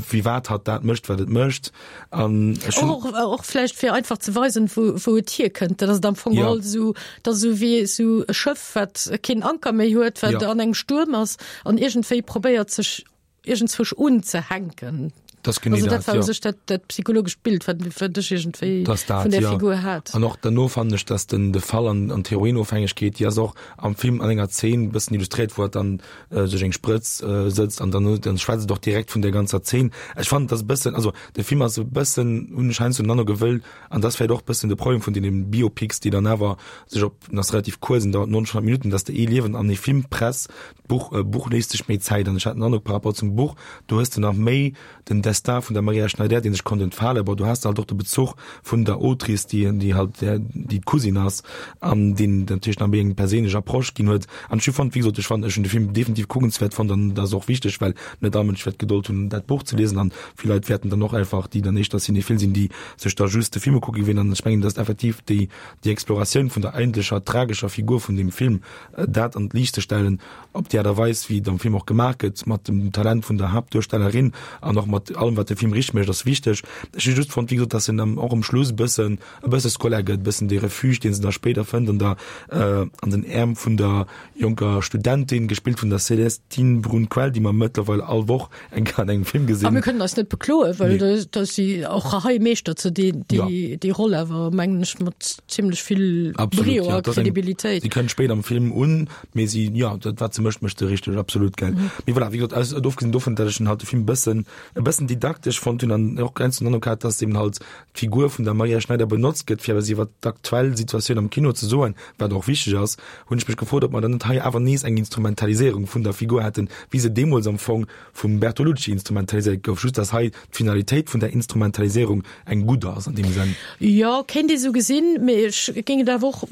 firwat hatt dat mécht, wat et mécht.
An ech hunn. Och, och vläicht fir einfach ze weisen, wou, wou et hierkënnt. Dat ass et am Fong geholl esou, dat ass esou wéi esou e Schëff, wat keen Anker méi huet, wat an engem Stuerm ass an iergendwéi probéiert sech iergendzwousch unzehänken.
Das genee
Also dat
dat,
war u
jo.
sech dat, dat psychologescht Bild, wat, wat ech iergendwéi
Dass dat,
vun där
jo.
Figur hat.
An och derno fannen ech, dass den, de Fall an, an d'Heroinofhängegkeet, déi ass och am Film an enger Zeen e bëssen illustréiert, wou hatt dann sech eng Sprëtz sëtzt an dann, dann schwätzt et och direkt vun där ganzer Zeen. Ech fannen, dass e bëssen, also de Film ass e bëssen, hunn ech heiansdo den Androck, e wëll, an dat ass vläicht och e bëssen de Problem vun deene Biopics, déi dann awer sech op, en ass relativ kuerz, en dauert 90 Minutten, dass de ee Liewen an ee Film press. D'Buch, Buch léisst sech méi Zäit an ech hat den Androck par rapport zum Buch, do hues de nach méi den Destin vun der Maria Schneider, dee sech konnt entfalen. Bon, do has de halt och de Bezuch vun der Autrice, déi, déi halt déi d'Cousine ass an deen natierlech nach méi eng perséinlech Approche ginn huet. An ech hu fonnt, wéi gesot, ech fannen, ech hunn de Film definitiv kuckenswäert fonnt an dat ass och wichteg, well net all Mënsch wäert d'Gedold hunn, dat Buch ze liesen an vill Leit wäerten dann och einfach, déi dann éischter cinéphile sinn, déi sech da just de Film ukucke wien. An ech mengen, datt effektiv déi, déi Exploratioun vun der eigentlecher tragescher Figur vun deem Film, dat an d'Liicht ze stellen, op déi Aart a Weis, wéi et am Film och gemaach gëtt, mat dem Talent vun der Haaptduerstellerin an och mat allem, wat de Film richteg mécht, ass wichteg. Ech hu just fonnt, wéi gesot, dass en och um Schluss e bëssen, e bësse scolaire gëtt, e bëssen dee Refuge, dee se da spéider fënnt an der, an den Äerm vun der jonker Studentin, gespillt vun der Célestine Brun-Quel, déi mer mëttlerweil all Woch eng Kéier an engem Film gesinn.
A mir kënnen eis net bekloen, well
Nee.
da si och hei meeschtert se déi, déi, déi Roll awer, mengen ech, mat zimlech vill
Absolut,
Brio
ja,
a
dat ass eng,
Kredibilitéit.
si kënnt spéit am Film un, mee si, jo, dat wat se mécht, mécht se richteg, absolut, gell. Mee voilà, wéi gesot, aus, ofgesinn dovun, datt ech den halt de Film e bëssen, e bëssen didaktesch fonnt hunn an och ganz den Androck hat, datt eben halt d'Figur vun der Maria Schneider benotzt gëtt, fir eppes iwwer d'aktuell Situatioun am Kino ze soen, wat och wichteg ass, hunn ech mech gefrot, ob mer dann net hei awer nees eng Instrumentaliséierung vun der Figur hätten, wéi se deemools am Fong vum Bertolucci instrumentaliséiert gouf, just dass hei d'Finalitéit vun der Instrumentaliséierung eng gutt ass an deem Sënn.
Jo, kéint ee sou gesinn, mee ech géing et awer och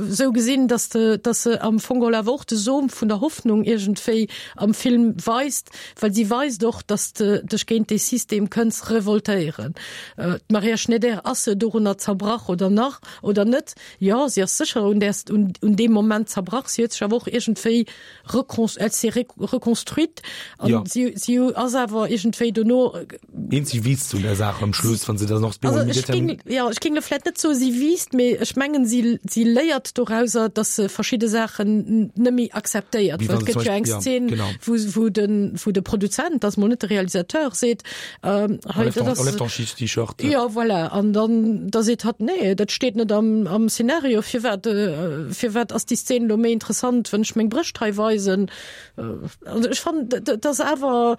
esou gesinn, dass de, dass se am Fong geholl awer och de Som vun der Hoffnung iergendwéi am Film weist, well si weist och, dass de dech géint dee System kënns revoltéieren. D'Maria Schneider, ass se dorunner zerbrach oder nach oder net? Jo, si ass sécher un där, un deem Moment zerbrach. Si huet sech awer och iergendwéi recon, elle s'est reconstruite an
Ja.
si, si ass awer iergendwéi dono.
Eent, si wiisst un der Saach am Schluss, wann se dann och.
Also ech géing, jo, ech géing elo vläicht net soe si wiisst, mee ech mengen, si, si léiert dorauser, datt se verschidde Saachen net méi akzeptéiert.
Wéi
Well
wann
et
se
gëtt
zum
jo eng
Beispill, ja,
Szen,
genau.
wou, wou den, wou de Produzent, dat ass mol net de Realisateur, seet, Ähm, hei, dat ass,
Enlève ton T-Shirt.
Ja, voilà. An dann da seet hatt, nee, dat steet net am, am Szenario. Firwat, äh, firwat ass déi Szene lo méi interessant, wann ech meng Brëscht hei weisen? Äh, also ech fannen, dat ass awer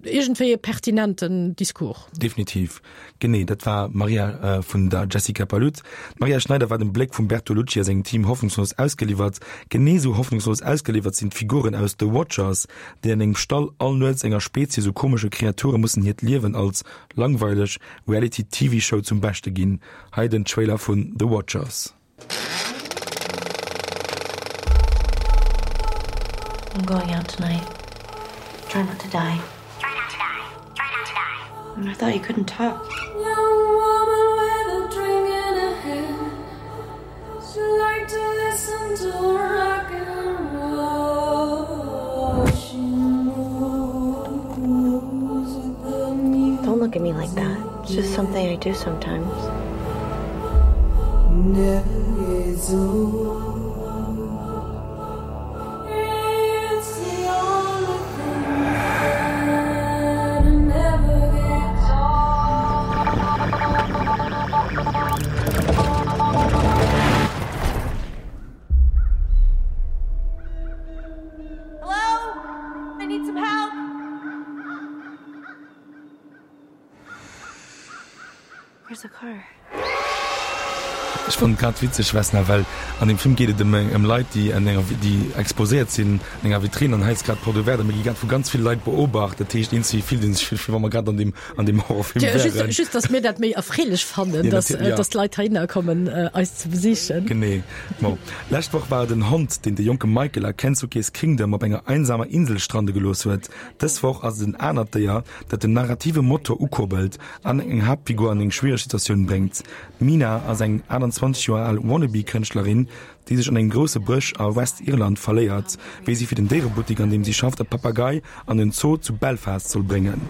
iergendwéi e pertinenten Discours.
Definitiv. Genee, dat war Maria äh, vun der Jessica Palud. D'Maria Schneider war dem Bléck vum Bertolucci a sengem Team hoffnungslos ausgeliwwert. Genee sou hoffnungslos ausgeliwwert sinn d'Figuren aus The Watchers, déi an engem Stall all Nuets enger Spezies u komesche Kreature mussen hiert Liewen als langweileg Reality-TV-Show zum Beschte ginn. Hei den Trailer vun The Watchers.
I'm going out tonight. Try not to die. Try not to die. Try not to die. I thought you couldn't talk. Young woman with a drink in her hand. She like to listen to rock and roll. She moves with the music. Don't look at me like that. It's just something I do sometimes. Never gets old. It's the only thing that never gets Hello? I need some help. Where's the car?
Ech fannen et grad witzeg, Vesna, well an deem Film geet et ëm ëm Leit, déi an enger déi exposéiert sinn an enger Vitrine an hei ass grad d'Porte ouverte a mir gi grad vu ganz ville Leit beobacht. Dat heescht, eenzi fillt ee sech wéi wa mer grad an deem an deem Horrorfilm
Tja, just,
wären.
just dass mir dat méi erfreelech fannen,
Ja,
dass,
natierlech, ja.
dass d'Leit heihinner kommen eis ze besichen.
Genee. Bon, lescht Woch war et en Hond, deen de jonke Michael a Kensuke's Kingdom op enger einsamer Insel strande gelooss huet. Dës Woch ass et en anert Déier, dat den narrative Motor ukurbelt an eng Haaptfigur an eng schwiereg Situatioun bréngt. D'Mina ass eng 28 Joer al Wannabe-Kënschtlerin, déi sech an engem grousse Bësch a West-Irland verléiert, wéi si fir den Déierebuttik, an deem si schafft, e Papagei an en Zoo zu Belfast soll bréngen.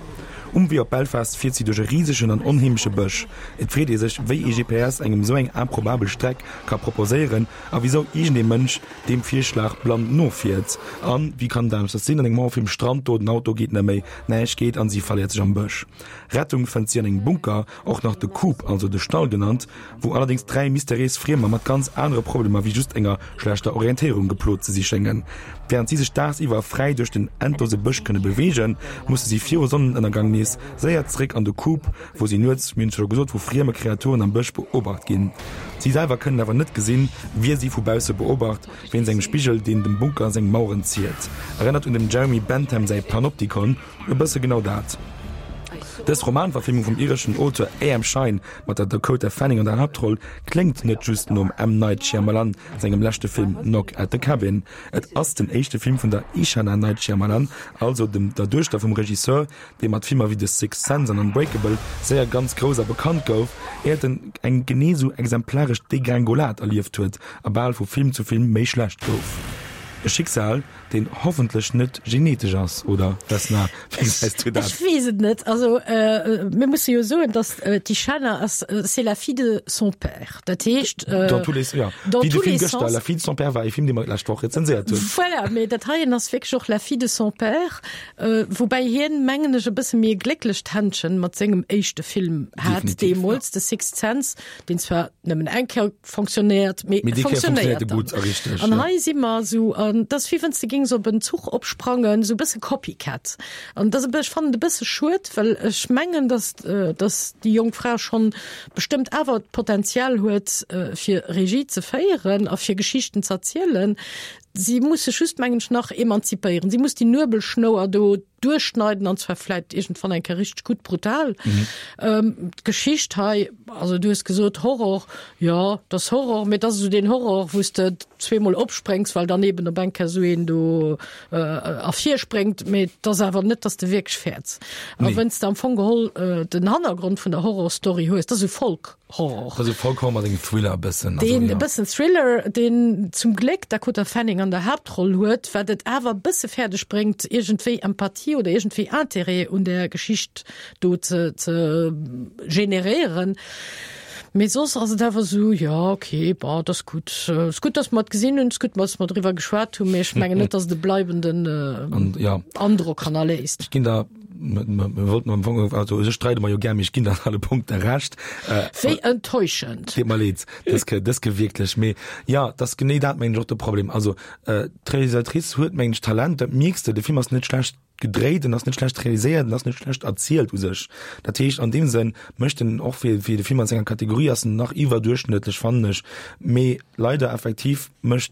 Um Wee op Belfast fiert si duerch e risegen an onheemleche Bësch. Et freet ee sech, wéi ee GPS engem esou eng improbabel Streck ka proposéieren a wisou iergendee Mënsch deem Virschlag blann nofiert. An wéi kann et aneschters sinn, an engem Horrorfilm strand do, den Auto geet net méi, näischt geet an si verléiert sech am Bësch. Rettung fënnt si an engem Bunker, och nach de Coop, also de Stall genannt, wou allerdéngs 3 mysteriéis Friemer mat ganz anere Problemer wéi just enger schlechter Orientéierung geplot ze si schéngen. Wärend si sech daagsiwwer fräi duerch den endlose Bësch kënne beweegen, musse si viru Sonnenënnergang nees séier zeréck an de Coop, wou si nuets, mir hunn et scho gesot, vu frieme Kreaturen am Bësch beobacht ginn. Si selwer kënnen awer net gesinn, wie si vu bausse beobacht, wéinst engem Spigel, deen dem Bunker seng Maueren ziert. Erënnert un dem Jeremy Bentham säi Panopticon. E bësse genau dat. Dës Romanverfilmung vum ireschen Auteur A.M. Shine mat der Dakota Fanning an der Haaptroll kléngt net just nom M. Night Shyamalan sengem leschte Film Knock at the Cabin. Et ass den éischte Film vun der Ishana Night Shyamalan, also dem der Duechter vum Regisseur, dee mat Filmer wéi The Sixth Sense an Unbreakable séier ganz grouss a bekannt gouf, éiert en eng genee sou exemplaresch Degringolade erlieft huet a bal vu Film zu Film méi schlecht gouf. E Schicksal, Deen hoffentlech net genetesch ass, oder Vesna, wéi gesäis du dat?
Ech weess et net. Also mir musse jo soen, datt d'Ishana ass, c'est la fille de son père. Dat heescht,
Dans tous les, ja,
dans
wéi de
tous
Film
les
gëschter,
sens.
La fille de son père war ee Film, dee mer d'lescht Woch rezenséiert hunn.
Voilà, mee dat heien ass wierklech och la fille de son père, woubäi hien, mengen ech, e bësse méi e glécklecht Händchen mat sengem éischte Film hat
Definitiv, ja.
deemools, The Sixth Sense, deen zwar nëmmen eng Kéier fonctionnéiert, mee
Mee déi Kéier
fonctionnéiert
fonctionnéiert e
dann.
gutt a richteg,
An
ja.
hei si mer esou, an et ass wéi wann s de géings op en Zuch opsprangen, esou e bësse Copycat. An et ass e bë-, ech fannen et e bësse schued, well ech mengen, dass, dass déi jonk Fra schonn bestëmmt awer d'Potenzial huet, fir Regie ze féieren a fir Geschichten z'erzielen. Si muss sech just, mengen ech, nach emanzipéieren. Si muss déi Nuebelschnouer do duerchschneiden, an zwar vläit iergendwann eng Kéier richteg gutt brutal. D'Geschicht hei, also du hues gesot Horror, jo, et ass Horror, mee et ass esou deen Horror, wou s de zweemol opspréngs, well dann eeben op eng Kéier esou een do ervirspréngt, mee et ass awer net, dass de wierklech fäerts. A wenn's de am Fong geholl den Hannergrond vun der Horrorstory hues, dat ass esou Folk.
Horror. Also Folk-Horror mat engem Thriller e bëssen.
Also, deen e bëssen Thriller, deen zum Gléck d'Dakota Fanning an der Haaptroll huet, wat et awer e bësse fäerdeg bréngt, iergendwéi Empathie oder iergendwéi Interêt un där Geschicht do ze, ze generéieren. Mee soss ass et awer esou, jo, okay, bon, et ass gutt. Et ass gutt, datt mer et gesinn hunn, et ass gutt, datt mer driwwer geschwat hunn, mee ech mengen net, datt et e bleibenden Androck hannerléisst.
Ech ginn der Mir wollten am Fong, also u sech streide mer jo gär, mee ech ginn der an alle Punkte Recht.
Wéi enttäuschend!
Deet mer leed, dës Kéier, dës Kéier wierklech. Mee jo, et ass genee dat, mengen ech, och de Problem. Also d'Realisatrice huet, mengen ech, Talent, dat mierks de. De Film ass net schlecht gedréit, en ass net schlecht realiséiert, en ass net schlecht erzielt u sech. Dat heescht, an deem Sënn mécht en och fir, fir de Film an senger Kategorie ass en nach iwwerduerchschnëttlech, fannen ech. Mee leider effektiv mécht,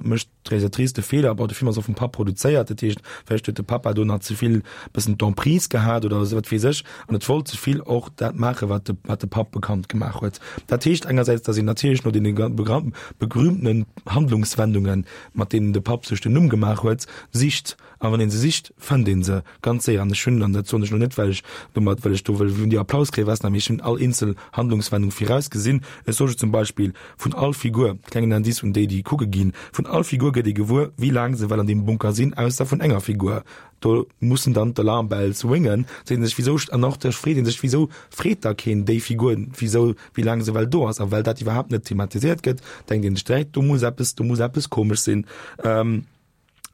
mécht d'Realisatrice de Feeler, bon de Film ass och vum Papp produzéiert, dat heescht vläicht huet de Papa do nach ze vill bëssen d'Emprise gehat oder esou wat weess ech, an et wollt ze vill och dat maachen, wat de wat de Papp bekannt gemaach huet. Dat heescht engersäits, datt een natierlech no deene berühmtenen Handlungswendungen, mat deenen de Papp sech den Numm gemaach huet, sicht, a wann ee se sicht, fënnt ee se ganz séier. An ech hunn, an dat soen ech elo net, well ech domat, well ech do wëll vun dir Applaus kréien, Vesna, mee ech hunn all eenzel Handlungswendung virausgesinn. Ech soe zum Beispill, Vun all Figur, klengen Indice un déi, déi kucke ginn, vun all Figur gëtt ee gewuer, wéi laang se well an deem Bunker sinn, ausser vun enger Figur. Do mussen dann d'Alarm Bells ringen, seet ee sech, wisou, an och da freet ee sech, wisou freet da keen déi Figur, wisou, wéi laang se well do ass. A well dat iwwerhaapt net thematiséiert gëtt, denkt ee sech direkt, do muss eppes, do muss eppes komesch sinn.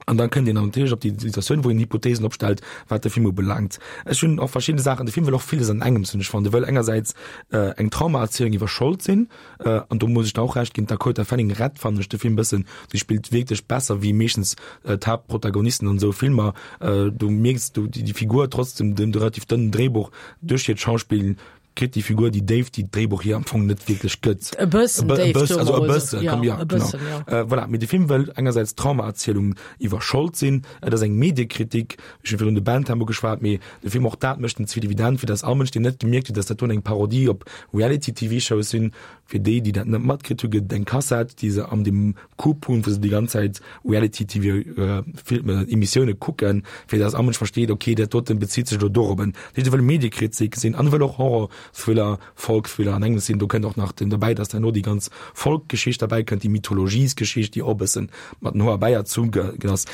An dann kënnt een dann natierlech op déi Situatioun, wou een Hypothesen opstellt, wat de Film ubelaangt. Ech hunn och verschidde Saachen, de Film wëll och villes an engems hunn. Ech fannen, e wëll engersäits eng Traumaerzielung iwwer Schold sinn, an do muss ech der och Recht ginn, d'Dakota Fanning rett, fannen ech, de Film bëssen. Si spillt wierklech besser wéi meeschtens d'Haaptprotagonisten an esou Filmer. Du mierks du déi Figur trotz dem relativ dënnen Dréibuch duerch hiert Schauspill Kritt déi Figur déi Déift, déi d'Dréibuch hir am Fong net wierklech gëtt.
E bëssen Déift,
e bëssen, also e bëssen, ja, komm, ja,
e bëssen,
genau. Ja. Äh, voilà, mee de Film wëll engersäits Traumaerzielung iwwer Schold sinn, et ass eng Mediekritik, ech hunn virun de Bentham ugeschwat, mee de Film och dat mécht en ze vill evident, fir datt all Mënsch, deen net gemierkt huet, datt dat do eng Parodie op Reality-TV-Shows sinn, Fir déi, déi dat net matkritt hu gëtt et eng Kassett, déi se an dem Coupe hunn, wou se déi ganz Zäit Reality-TV-Emissioune kucken, fir datt all Mënsch versteet, okay, dat doten bezitt sech elo dorobben. Dat heescht, e wëll Mediekritik sinn an e wëll och Horror, Thriller, Folk-Thriller an engems sinn. Do kënnt och nach den derbäi, datt herno déi ganz Folk-Geschicht derbäi kënnt, déi Mythologiesgeschicht, déi och e bëssen mat den Hoer bäierzu ass.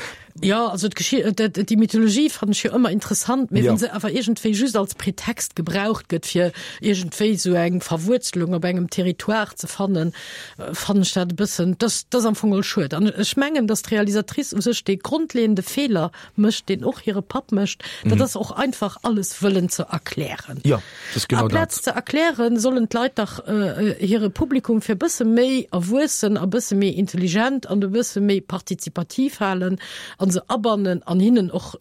Jo, also déi Mythologie fannen ech jo ëmmer interessant, mee wann se awer iergendwéi just als Pretext gebraucht gëtt, fir iergendwéi esou eng Verwuerzelung op engem Territoire ze fannen, fannen ech dat e bëssen, dat ass am Fong geholl schued. An ech mengen, datt d'Realisatrice u sech dee grondleeënde Feeler mécht, deen och hire Papp mécht, dat ass och einfach alles wëllen ze erklären.
Jo.
Amplaz ze erklären, sollen d'Leit dach hire Publikum fir e bësse méi erwuessen a bësse méi intelligent an e bësse méi partizipativ halen a se abannen an hinnen och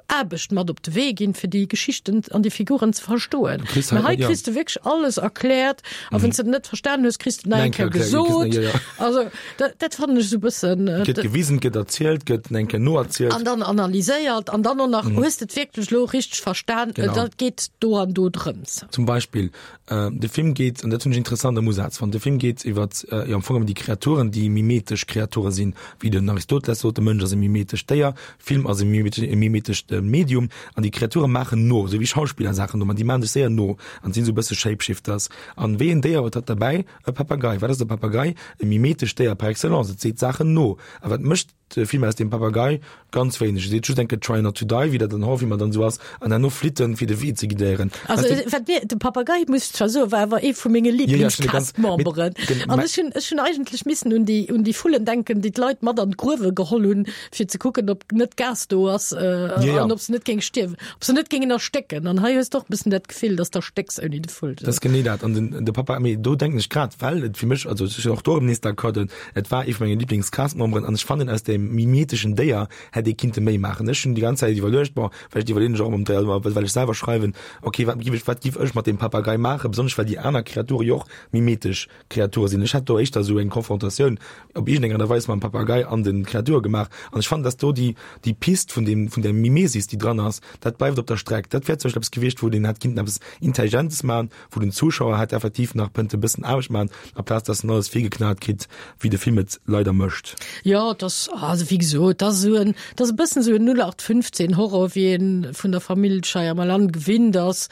Aarbecht mat op de Wee ginn, fir déi Geschichten an déi Figuren ze verstoen. Mä hei kriss de wierklech alles erkläert a wann s de et net verstanen hues, kriss de et nach eng Kéier gesot. Also dat, dat fannen ech esou bëssen.
Äh, gëtt gewisen, gëtt erzielt, gëtt eng Kéier noerzielt.
An dann analyséiert an dann och nach, mm. hues de et wierklech lo richteg verstan, äh, genau. dat geet do an do drëms.
Zum Beispill, äh, de Film geet, an dat hunn ech interessant am Usaz fonnt, de Film geet iwwer äh, jo, am Fong ëm déi Kreaturen, déi mimetesch Kreature sinn, wéi den Aristoteles sot, de Mënsch ass e mimetescht Déier, Film ass e mimetescht Medium an déi Kreature maachen no, esou wéi Schauspiller Saachen no, ma déi maachen sech séier no an sinn esou e bësse Shapeshifters. An wéi en Déier huet dat derbäi? E Papagei. Wat ass e Papagei? E mimetescht Déier par excellence. Et seet Saachen no. A wat mécht de Film aus deem Papagei? Ganz wéineg. E seet just eng Kéier Try not to die, wéi dat an Horrorfilmer dann esou ass, an herno flitt en, fir de Wee ze guidéieren.
Also, wat mir, de Papagei, muss ech zwar soen, war awer ee vu menge Lieblingscast-Memberen. An ech hunn, ech hunn eigentlech missen un déi, un déi Vullen denken, déi d'Leit mat an d'Gruewe geholl hunn, fir ze kucken, ob net Gas do ass, an ob se net géing stierwen, ob se net géingen erstécken. An hei hues de och e bëssen dat Gefill, dass d'erstécks ouni de Vull.
Dat ass genee dat. An den, de Papa, mee do denken ech grad, well et fir mech, also ech sinn och do erëm nees d'accord, den, et war ee vu menge Lieblingscast-Memberen an ech fannen, aus deem mimeteschen Déier hätt ee kinnte méi maachen. Ech hunn déi ganz Zäit iwwerluecht, bon, vläicht iwwerleeën ech och ëmmer ëm, well ech selwer schreiwen, okay, wat giff ech, wat giff ech mat deem Papagei maachen, besonnesch well déi aner Kreature jo och mimetesch Kreature sinn. Ech hätt do éischter esou eng Konfrontatioun op iergendeng Aart a Weis mam Papagei an de Kreature gemaach. An ech fannen, dass do déi, déi Pist vun deem, vun där Mimesis, déi dran ass, dat bleift op der Streck. Dat wär zum Beispill eppes gewiescht, wou een hätt kinnten eppes Intelligentes maachen, wou den Zuschauer hätt effektiv nach kënnte e bëssen Aarbecht maachen, amplaz dass en alles virgeknat kritt, wéi de Film et leider mécht.
Jo, et ass, also wéi gesot, et ass esou en, et ass e bëssen esou en 0815 Horror, wéi ee vun der Famill Shyamalan gewinnt ass.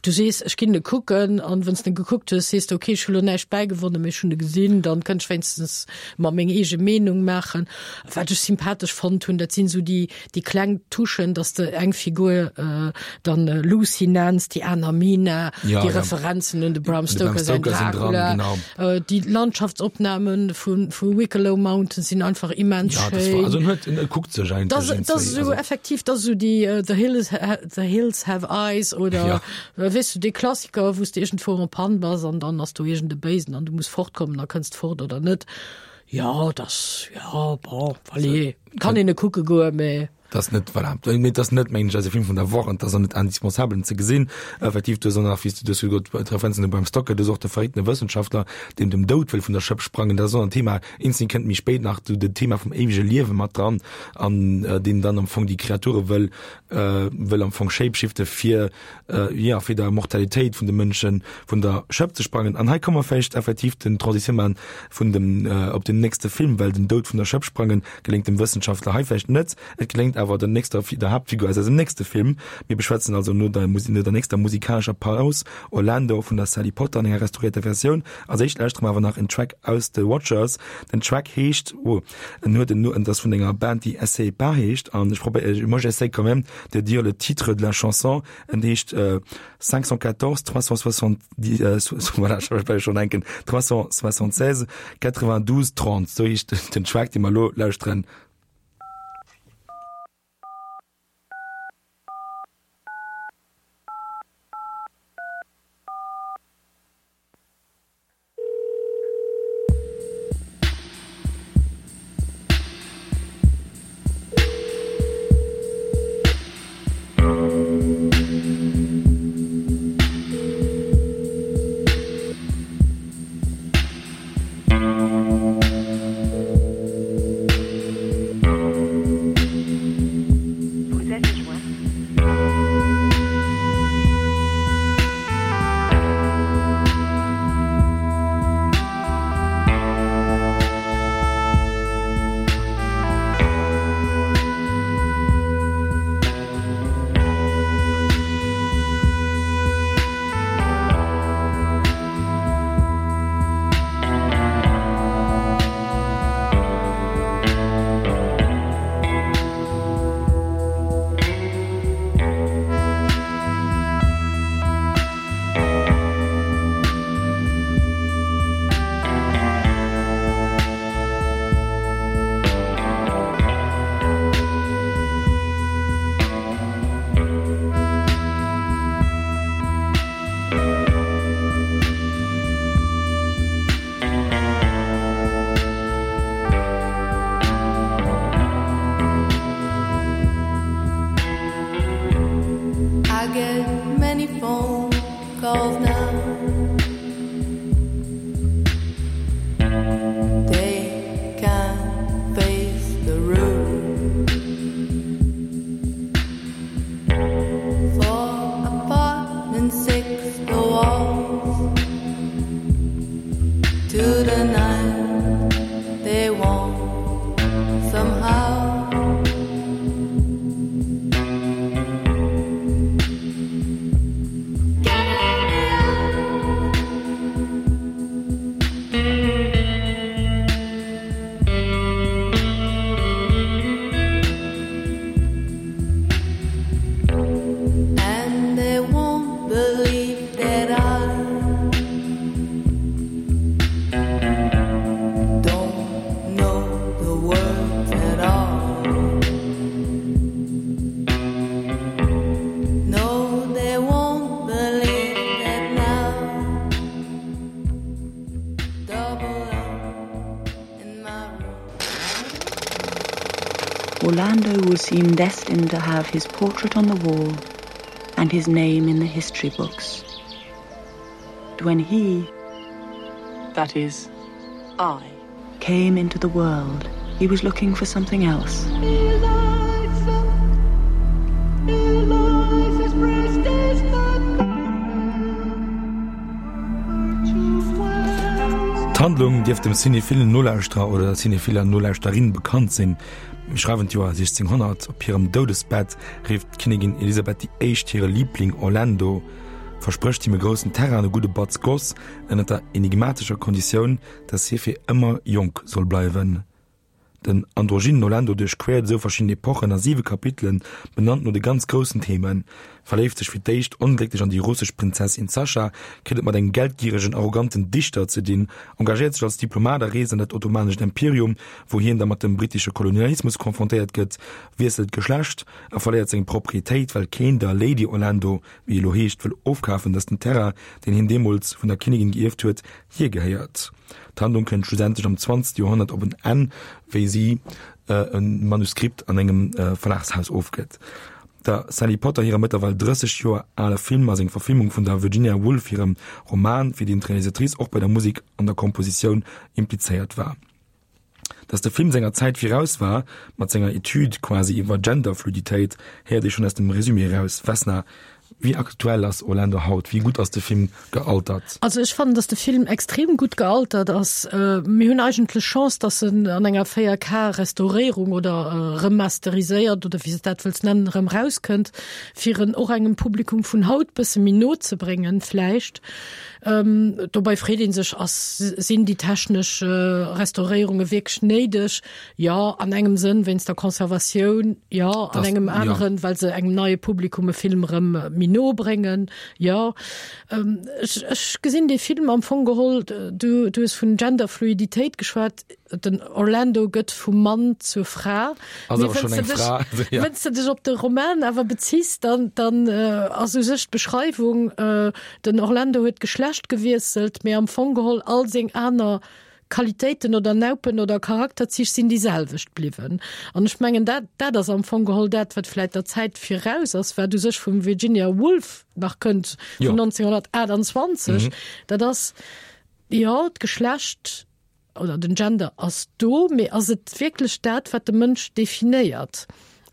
Du sees, ech ginn e kucken, an wann s de en gekuckt hues, sees de, okay, ech hu lo näischt bäigewonnen, mee ech hunn e gesinn, dann kënnt ech wéinstens mer meng eege Meenung maachen. Wat ech sympathesch fonnt hunn, dat sinn esou déi, déi kleng Touchen, dass de eng Figur dann Lucy nenns, déi aner Mina,
Ja,
déi
ja.
Referenzen un de Bram
De Bram
Stoker säin
Stoker sinn dran,
Dracula,
genau.
déi Landschaftsopnamen vu, vu Wicklow Mountain sinn einfach immens
Ja, das war,
schéin.
also en huet, en kuckt sech
Das,
eigentlech
das
iergendwéi,
esou
also.
effektiv, das esou déi The Hills, The Hills Have Eyes oder
Ja.
weess du, dee Klassiker, wou s de iergendwou en panne bass an dann ass do iergend e Béisen an du muss fortkommen a kënns fort oder net. Ja, das, ja, bon, allez, kann een e kucke goen, mä.
Dat ass net, voilà, mee dat ass net, mengen ech, eise Film vun der Woch an dat ass och net indispensabel en ze gesinn. Effektiv, du hues och nach, wéi s du, du hues jo d'Referenzen u Bram Stoker, du hues och de verréckten Wëssenschaftler, deen dem Doud wëll vun der Schëpp sprangen, dat ass och en Thema, Instinct kënnt méi spéit nach, du den Thema vum éiwege Liewe mat dran an deen dann am Fong déi Kreature wëll, wëll am Fong shapeshifte fir, jo, fir der Mortalitéit vun de Mënschen vun der Schëpp ze sprangen. An hei komme mer vläicht effektiv den Transition maachen vun dem, op den nächste Film, well den Doud vun der Schëpp sprangen geléngt dem Wëssenschaftler hei vläicht net, et geléngt awer der nächster, der Haaptfigur aus eisem nächste Film. Mir beschwätzen also no der, no der nächster musikalescher Paus Orlando vun der Sally Potter an enger restauréierter Versioun. Als éischt lauschtere mer awer nach en Track aus The Watchers. Den Track heescht, oh, en huet en, en ass vun enger Band déi Essaie Pas heescht an ech probéier, moi j'essaie quand même de dire le titre de la chanson, en heescht 514 370, voilà, ech well schonn enken, 376 92 30, sou heescht den Track dee mer elo lauschteren.
To the night they won't somehow. And they won't believe that I don't know the words at all. No, they won't believe that now. Double up in my room.
Orlando will seem destined to have his portrait on the wall and his name in the history books. But when he, that is, I, came into the world, he was looking for something else.
D'Handlung dierft dem cinéphilen Nolauschterer oder der cinéphiler Nolauschterin bekannt sinn. Mir schreiwen d'Joer 1600. Op hirem Doudesbett rifft d'Kinnigin Elisabeth déi Éischt hire Liibling Orlando, versprécht him e groussen Terrain an e gudde Batz Goss, ënner der enigmatescher Konditioun, dass hie fir ëmmer jonk soll bleiwen. Den androgynen Orlando duerchquert esou verschidden Epochen a siwe Kapitelen, benannt no de ganz groussen Themen, verléift sech fir d'éischt onglécklech an déi russesch Prinzessin Sascha, kritt et mat engem geldgieregen, arroganten Dichter ze dinn, engagéiert sech als Diplomat a reest an dat ottomanescht Imperium, wou hien da mat dem brittesche Kolonialismus konfrontéiert gëtt, wiesselt d'Geschlecht a verléiert seng Proprietéit, well keen der Lady Orlando, wéi elo heescht, wëll ofkafen, datt den Terrain, deen hien deemools vun der Kinnigin gierft huet, hir gehéiert. D'Handlung kënnt schlussendlech am zwanzegste Joerhonnert op en Enn, wéi si e Manuskript an engem Verlagshaus ofgëtt. Der Sally Potter hirem mëttlerweil 30 Joer ale Film ass eng Verfilmung vun der Virginia Woolf hirem Roman, fir deen d'Realisatrice och bei der Musek an der Kompositioun implizéiert war. Dass de Film senger Zäit viraus war, mat senger Etüd quasi iwwer Genderfluiditéit, héiert ee schonn aus dem Resumé eraus. Vesna, wéi aktuell ass Orlando haut? Wéi gutt ass de Film gealtert?
Also ech fannen, dass de Film extrem gutt gealtert ass. Mir hunn eigentlech Chance, dass en an enger 4K Restauréierung oder remasteriséiert oder wéi s de dat wëlls nennen, erëm rauskënnt, fir en och engem Publikum vun haut bësse méi no ze bréngen vläicht. Dobei freet ee sech, ass, sinn déi technesch Restauréierunge wierklech néideg? Jo, an engem Sënn wéinst der Conservatioun, jo, an engem aneren, well se engem neie Publikum e Film erëm méi no bréngen, jo. Ech, ech gesinn dee Film am Fong geholl, du, du hues vun Genderfluiditéit geschwat, Den Orlando gëtt vum Mann zur Fra.
Ass awer schonn eng Fra.
Wenn's de dech op de Roman awer beziss, dann, dann ass u sech d'Beschreiwung, den Orlando huet d'Geschlecht gewiesselt, mee am Fong geholl all seng aner Qualitéiten oder Naupen oder Charakterzich sinn déi selwecht bliwwen. An ech mengen, dat, dat ass am Fong geholl dat, wat vläit der Zäit viraus ass, wat u sech vum Virginia Woolf nach kënnt, vun 1928. Dat ass, jo, d'Geschlecht, oder den Gender ass do, mee ass et wierklech dat, wat de Mënsch definéiert?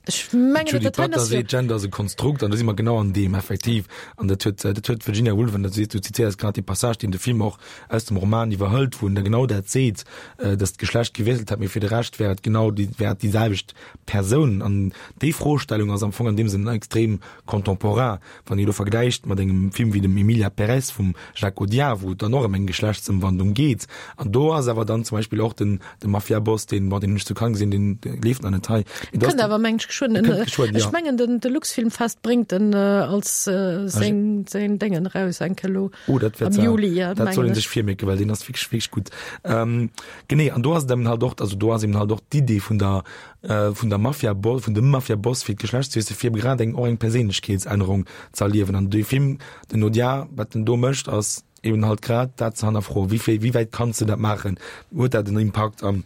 Ech mengen, dat hei ass jo. Gender ass e Konstrukt an do si mer genau an deem effektiv. An dat huet, dat huet d'Virginia Woolf, an dat sees du, zitéiers grad dee Passage, deen de Film och aus dem Roman iwwerhëlt, wou en da genau dat seet, datt d'Geschlecht gewiesselt hätt, mee fir de Rescht wär et genau déi, wär et déi selwecht Persoun. An déi Froestellung ass am Fong an deem Sënn extrem contemporain. Wann ee elo vergläicht mat engem Film wéi dem Emilia Pérez vum Jacques Audiard, wou et dann och ëm eng Geschlechtsëmwandlung geet, an do ass awer dann zum Beispill och den, de Mafiaboss, deen, bon, deen hunn ech zu Cannes gesinn, deen leeft nach net hei.
Mee do ass Kënnt awer, mengen ech, geschwënn. Kënnt geschwënn, jo. Ech mengen, den, de Luxfilmfest bréngt en als seng, seng Déngen eraus eng Kéier elo
Oh, dat wäert am Juli, ja, dat soll een sech virmierken, well deen ass wierklech, wierklech gutt. Genee, an do ass et eben halt och, also do ass eben halt och d'Idee vun der, vun der Mafia vun dem Mafiaboss fir d'Geschlechtswiessel fir grad eng och eng Perséinlechkeetsännerung ze erliewen. An dee Film, den Audiard, wat en do mécht, ass eben halt grad dat ze hannerfroen, wéi wéi wäit kanns de dat maachen, huet dat en Impakt an.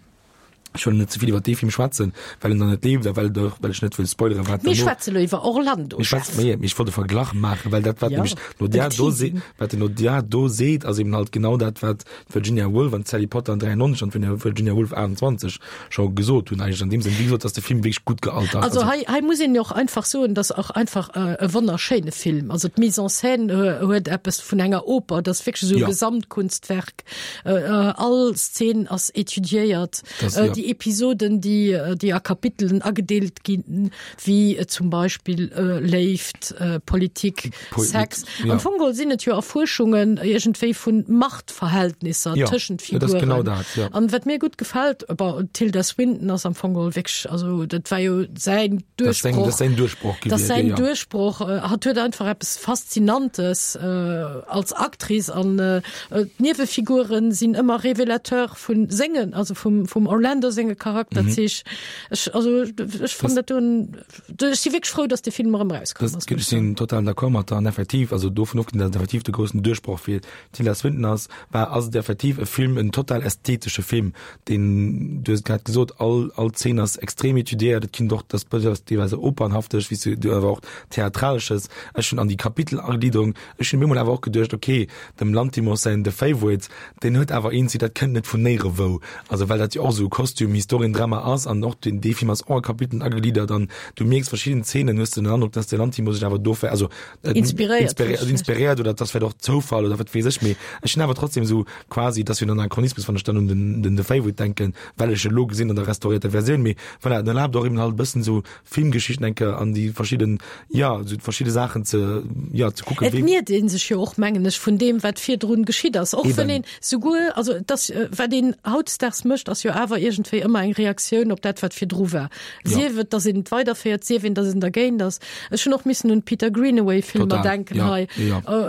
Ech wëll net ze vill iwwer dee Film schwätzen, well en dann net leeft a well et och, well ech net wëll spoileren, wat
Mir schwätze lo iwwer Orlando,
Mir schwätzen, Chef. mee ech wollt e Verglach maachen, well dat, wat Ja, nämlech d'Nadia en do seet, Teasing. wat den Nadia do seet, ass eben halt genau dat, wat d'Virginia Woolf an d'Sally Potter an 93 an d'Virginia Woolf 28 scho gesot hunn eigentlech. An deem Sënn, wéi gesot, ass de Film wierklech gutt gealtert.
Also hei, hei muss een jo och einfach soen, dass och einfach e wonnerschéine Film. Also d'Mise en scène huet eppes vun enger Oper, dat ass wierklech esou e Ja. Gesamtkunstwerk. All Szen ass étudiéiert. Déi Episoden, déi déi a Kapitelen agedeelt ginn, wéi zum Beispill Léift, Politik, Sex. Am Fong geholl sinn et jo Erfuerschungen iergendwéi vu Machtverhältnisser tëschent Figuren. An wat mir gutt gefält, bon, d'Tilda Swinton ass am Fong geholl wierklech, also dat war jo säin Duerchbroch.
Dat ass säin Duerchbroch
gewiescht. Dat ass säin Duerchbroch. Hatt huet einfach eppes Faszinantes als Actrice an D'Niewefiguren sinn ëmmer Révélateur vun sengen, also vum, vum Orlando senge Charakterzich. Mhm. Ech, also, ech fand dat doen, ech si wierklech frou, dass de Film erëm rauskomm
ass. Ech sinn total d'accord mat der an effektiv, also dovun ofgesinn, dass et effektiv de groussen Duerchbroch fir d'Tilda Swinton ass, war, ass et effektiv e Film, en total ästhetesche Film, deen, du hues et grad gesot, all, all Zeen ass extrem étudiéiert, et kinnt och, dass bësses deelweis opernhaftig, wéi s du awer och theatralesches. Ech hunn an déi Kapitelagliederung, Ech hunn bemol awer och geduecht, ok, dem Lanthimos säin The Favourite, deen huet awer een Zitat, dat kënnt net vun néierewou, also well dat jo och esou e Kostüm-Historiendrama ass an och den dee Film ass och a Kapiteln agegliddert an du mierks verschidden Zeenen hues de den Androck, dass de Lanthimos sech awer do vläicht, also
Inspiréiert
inspiréiert, also inspiréiert oder dass vläicht och Zoufall oder wat weess ech, mee ech hunn awer trotzdem esou quasi, et ass jo en Anachronismus, wann ech dann un den den The Favourite denken, well ech e lo gesinn an der restaurierter Versioun, mee voilà, en erlaabt och eben halt e bëssen esou Filmgeschichten enke an déi verschidden, ja, esou verschidde Saachen ze, ja, ze kucken.
Et niert ee sech jo och, mengen ech, vun deem, wat virdrun geschitt ass. Och wann een souguer, also et ass, wat een hautdesdaags mécht, ass jo awer iergendwéi ëmmer eng Reaktioun op dat, wat virdru war. Sief et, datt een et weiderféiert, sief een, datt een dergéint ass. Ech hunn och missen un d'Peter Greenaway-Filmer denken hei,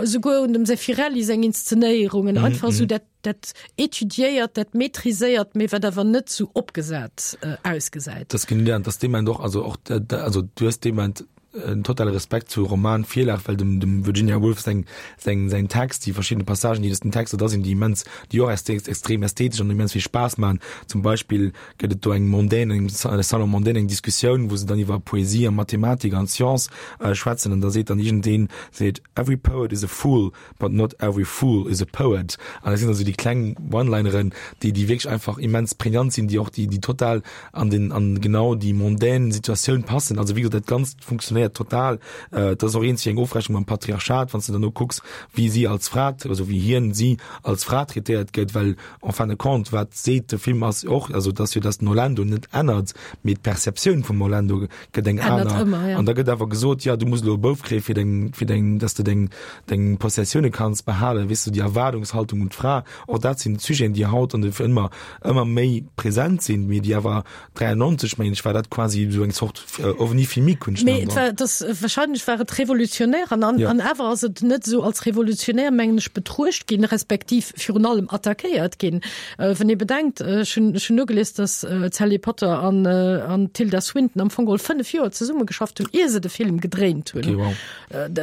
souguer un dem Zeffirelli seng Inszenéierungen, einfach esou dat, dat étudiéiert, dat maîtriséiert, mee wat awer net sou opgesat ausgesäit.
Dat ass genee dat, dass dee Moment och, also och, also du hues dee Moment en totale Respekt zur Romanvirlag, well dem, dem Virginia Woolf seng, seng, säin Text, déi verschidden Passagen, déi aus den Texter da sinn, déi immens, déi och extrem ästhetesch an immens vill Spaass maachen. Zum Beispill gëtt et do eng mondaine, eng Salon mondaine, eng Diskussioun, wou se dann iwwer Poesie a Mathematik an Science schwätzen an da seet dann iergendeen, seet, Every poet is a fool, But not every fool is a poet. An dat sinn also déi kleng One-Lineren, déi, déi wierklech einfach immens prägnant sinn, déi och, déi, déi total an den, an genau déi mondaine Situatioun passen. Also wéi gesot, dat Ganzt funktionéiert total. Et ass och eenzeg eng Ofrechnung mam Patriarchat, wann s de dann no kucks, wéi si als Fra, also wéi hien, si als Fra traitéiert gëtt, well en fin de compte, wat seet de Film ass och, also dass jo, dass den Orlando net ännert, mee d'Perceptioun vum Orlando gëtt eng aner. Ëmmer, ja. An da gëtt awer gesot, ja, du muss elo e Bouf kréie fir deng, fir deng, dass de deng, deng Possessioune kanns behalen, weess du, déi Erwaardungshaltung un d'Fra, och dat sinn Sujeten, déi haut an de ëmmer, ëmmer méi present sinn, mee déi awer 93, mengen ech, war dat quasi esou eng Zort Ovni filmique,
hunn ech den Androck. Mee et war, dass, wahrscheinlech war et revolutionär an, an, ja. an awer ass et net esou als revolutionär, mengen ech, betruecht ginn, respektiv virun allem attackéiert ginn. Wann ee bedenkt, ech hunn, ech hunn nogelies, dass d'Sally Potter an, an d'Tilda Swinton am Fong geholl 5 Joer zesummegeschafft hunn, ier se de Film gedréint hunn.
Okay, wow.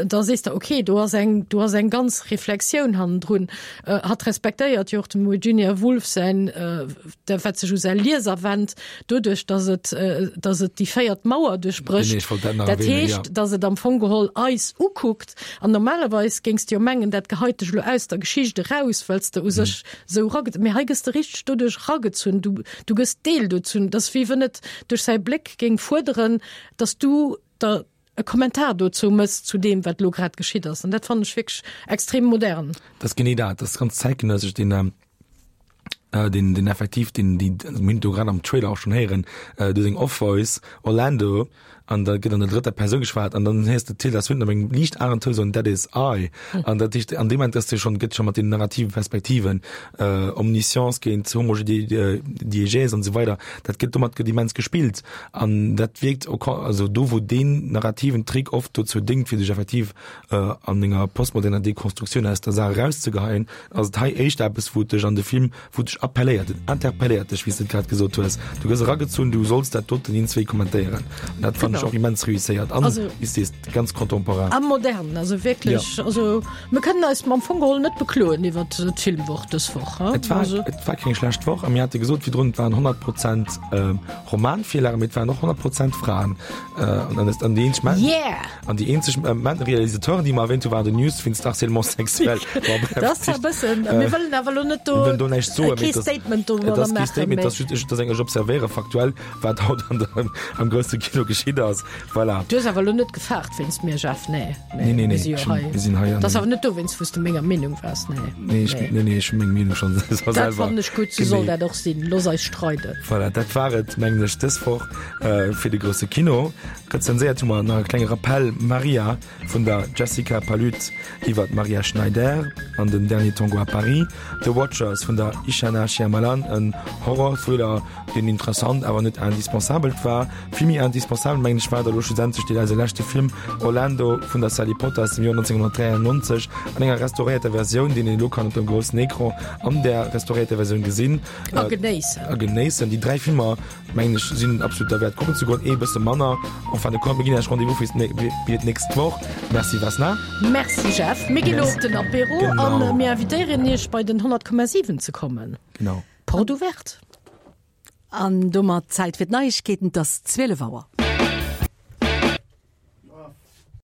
Da sees de, okay, do ass eng, do ass eng ganz Reflexioun hannendrun. Hatt respektéiert jo och dem Virginia Woolf säin, wat sech u säi Lieser wennt, doduerch, dass et, dass et déi véiert Mauer duerchbrécht.
Genee, ech wollt dat nach
Dat
erwähnen,
heescht,
ja.
dass et am Fong geholl eis ukuckt. An normalerweis géings de jo mengen, dat geheit dech elo aus der Geschicht eraus, well s de u sech esou erage-, mee hei gëss de richteg doduerch eragezunn. Du, du gëss Deel dozun. Et ass wéi wënn et duerch säi Bléck géing fuerderen, dass du der e Kommentar dozou mëss, zu deem, wat elo grad geschitt ass. An dat fannen ech wierklech extrem modern.
Dat ass genee dat. Dat ass ganz zäitgenëssesch, deen, deen, deen effektiv, deen, déi, also mir hunn et do grad am Trailer och schonn héieren, do seng Off-Voice, Orlando, an da gëtt an der drëtter Persoun geschwat an dann héiers de d'Tilda Swinton op engem liicht aneren Toun soen, That is I. An dat heescht, an deem Moment ass de schonn, gëtt scho mat den narrative Perspektiven, Omniscience géint Homogediegèse an esou weider, dat gëtt, domat gëtt immens gespillt an dat wierkt au con-, also do wou deen narrativen Trick oft dozou déngt, fir sech effektiv an enger postmoderner Dekonstruktioun aus der Saach erauszegeheien, ass et hei éischter eppes, wou et dech an de Film, wou et dech appelléiert, et interpelléiert dech, wéi s de et grad gesot hues. Du gëss eragezunn, du solls dat doten iergendzwéi kommentéieren. An dat fannen ech. ech och immens réusséiert an, wéi s sees, ganz contemporain.
A modern, also wierklech, ja. Also mir kënnen eis am Fong geholl net bekloen iwwer d'Filmwoch dës Woch.
Et war, also. et war keng schlecht Woch a mir hate gesot virdrun, et waren 100 Prozent äh, Romanvirlagen, mee et waren och 100 Prozent Fraen. Äh, an, an, an déi eenzeg Män
yeah!
an déi eenzeg äh, Män Realisateuren, déi mer erwähnt hu, waren den News wéinst Harcèlement sexuel.
Bon, bref, Dat ass zwar e bëssen, äh, mir wëllen awer elo net do,
do näischt soen,
kee Statement do
maachen. Statement, dat ass just, ech, dat eng, ech observéiere faktuell, wat haut an der, am grousse Kino geschitt ass. Voilà.
Du hues awer elo net gefaart wéinst mir, Jeff? Nee.
Nee, nee, nee. Mir si jo hei. Mir sinn hei.
Dat ass awer net dowéinst, wou s de menger Meenung waars,
nee. Nee, ech, nee, nee, ech hu meng Meenung schonn
selwer. Dat fannen ech gutt, sou soll dat och sinn. Looss eis streiden.
Voilà, dat war et, mengen ech, dës Woch fir de grousse Kino. Rezenséiert hu mer nach e klenge Rappell, Maria vun der Jessica Palud iwwer d'Maria Schneider an den Dernier Tango à Paris, The Watchers vun der Ishana Shyamalan, en Horror-Thriller, deen interessant, awer net indispensabelt war. Vill méi indispensabel, mengen ech, war da lo schlussendlech deen eise leschte Film Orlando vun der Sally Potter aus dem Joer 1993 an enger restauréierter Versioun, deen een elo kann op dem groussen Ecran an där restauréierter Versioun gesinn
a genéissen.
A genéissen. Déi 3 Filmer, mengen ech, sinn absolut derwäert kucken ze goen, ee bësse manner. En fin de compte, mir ginn Iech Rendez-vous fir fir d'nächst Woch. Merci Vesna.
Merci Jeff. Mir ginn elo op den Apéro a mir invitéieren Iech bei den 100,7 ze kommen.
Genau.
Porte ouverte.
An domat Zäit fir d'Neiegkeeten, 't ass 12 Auer.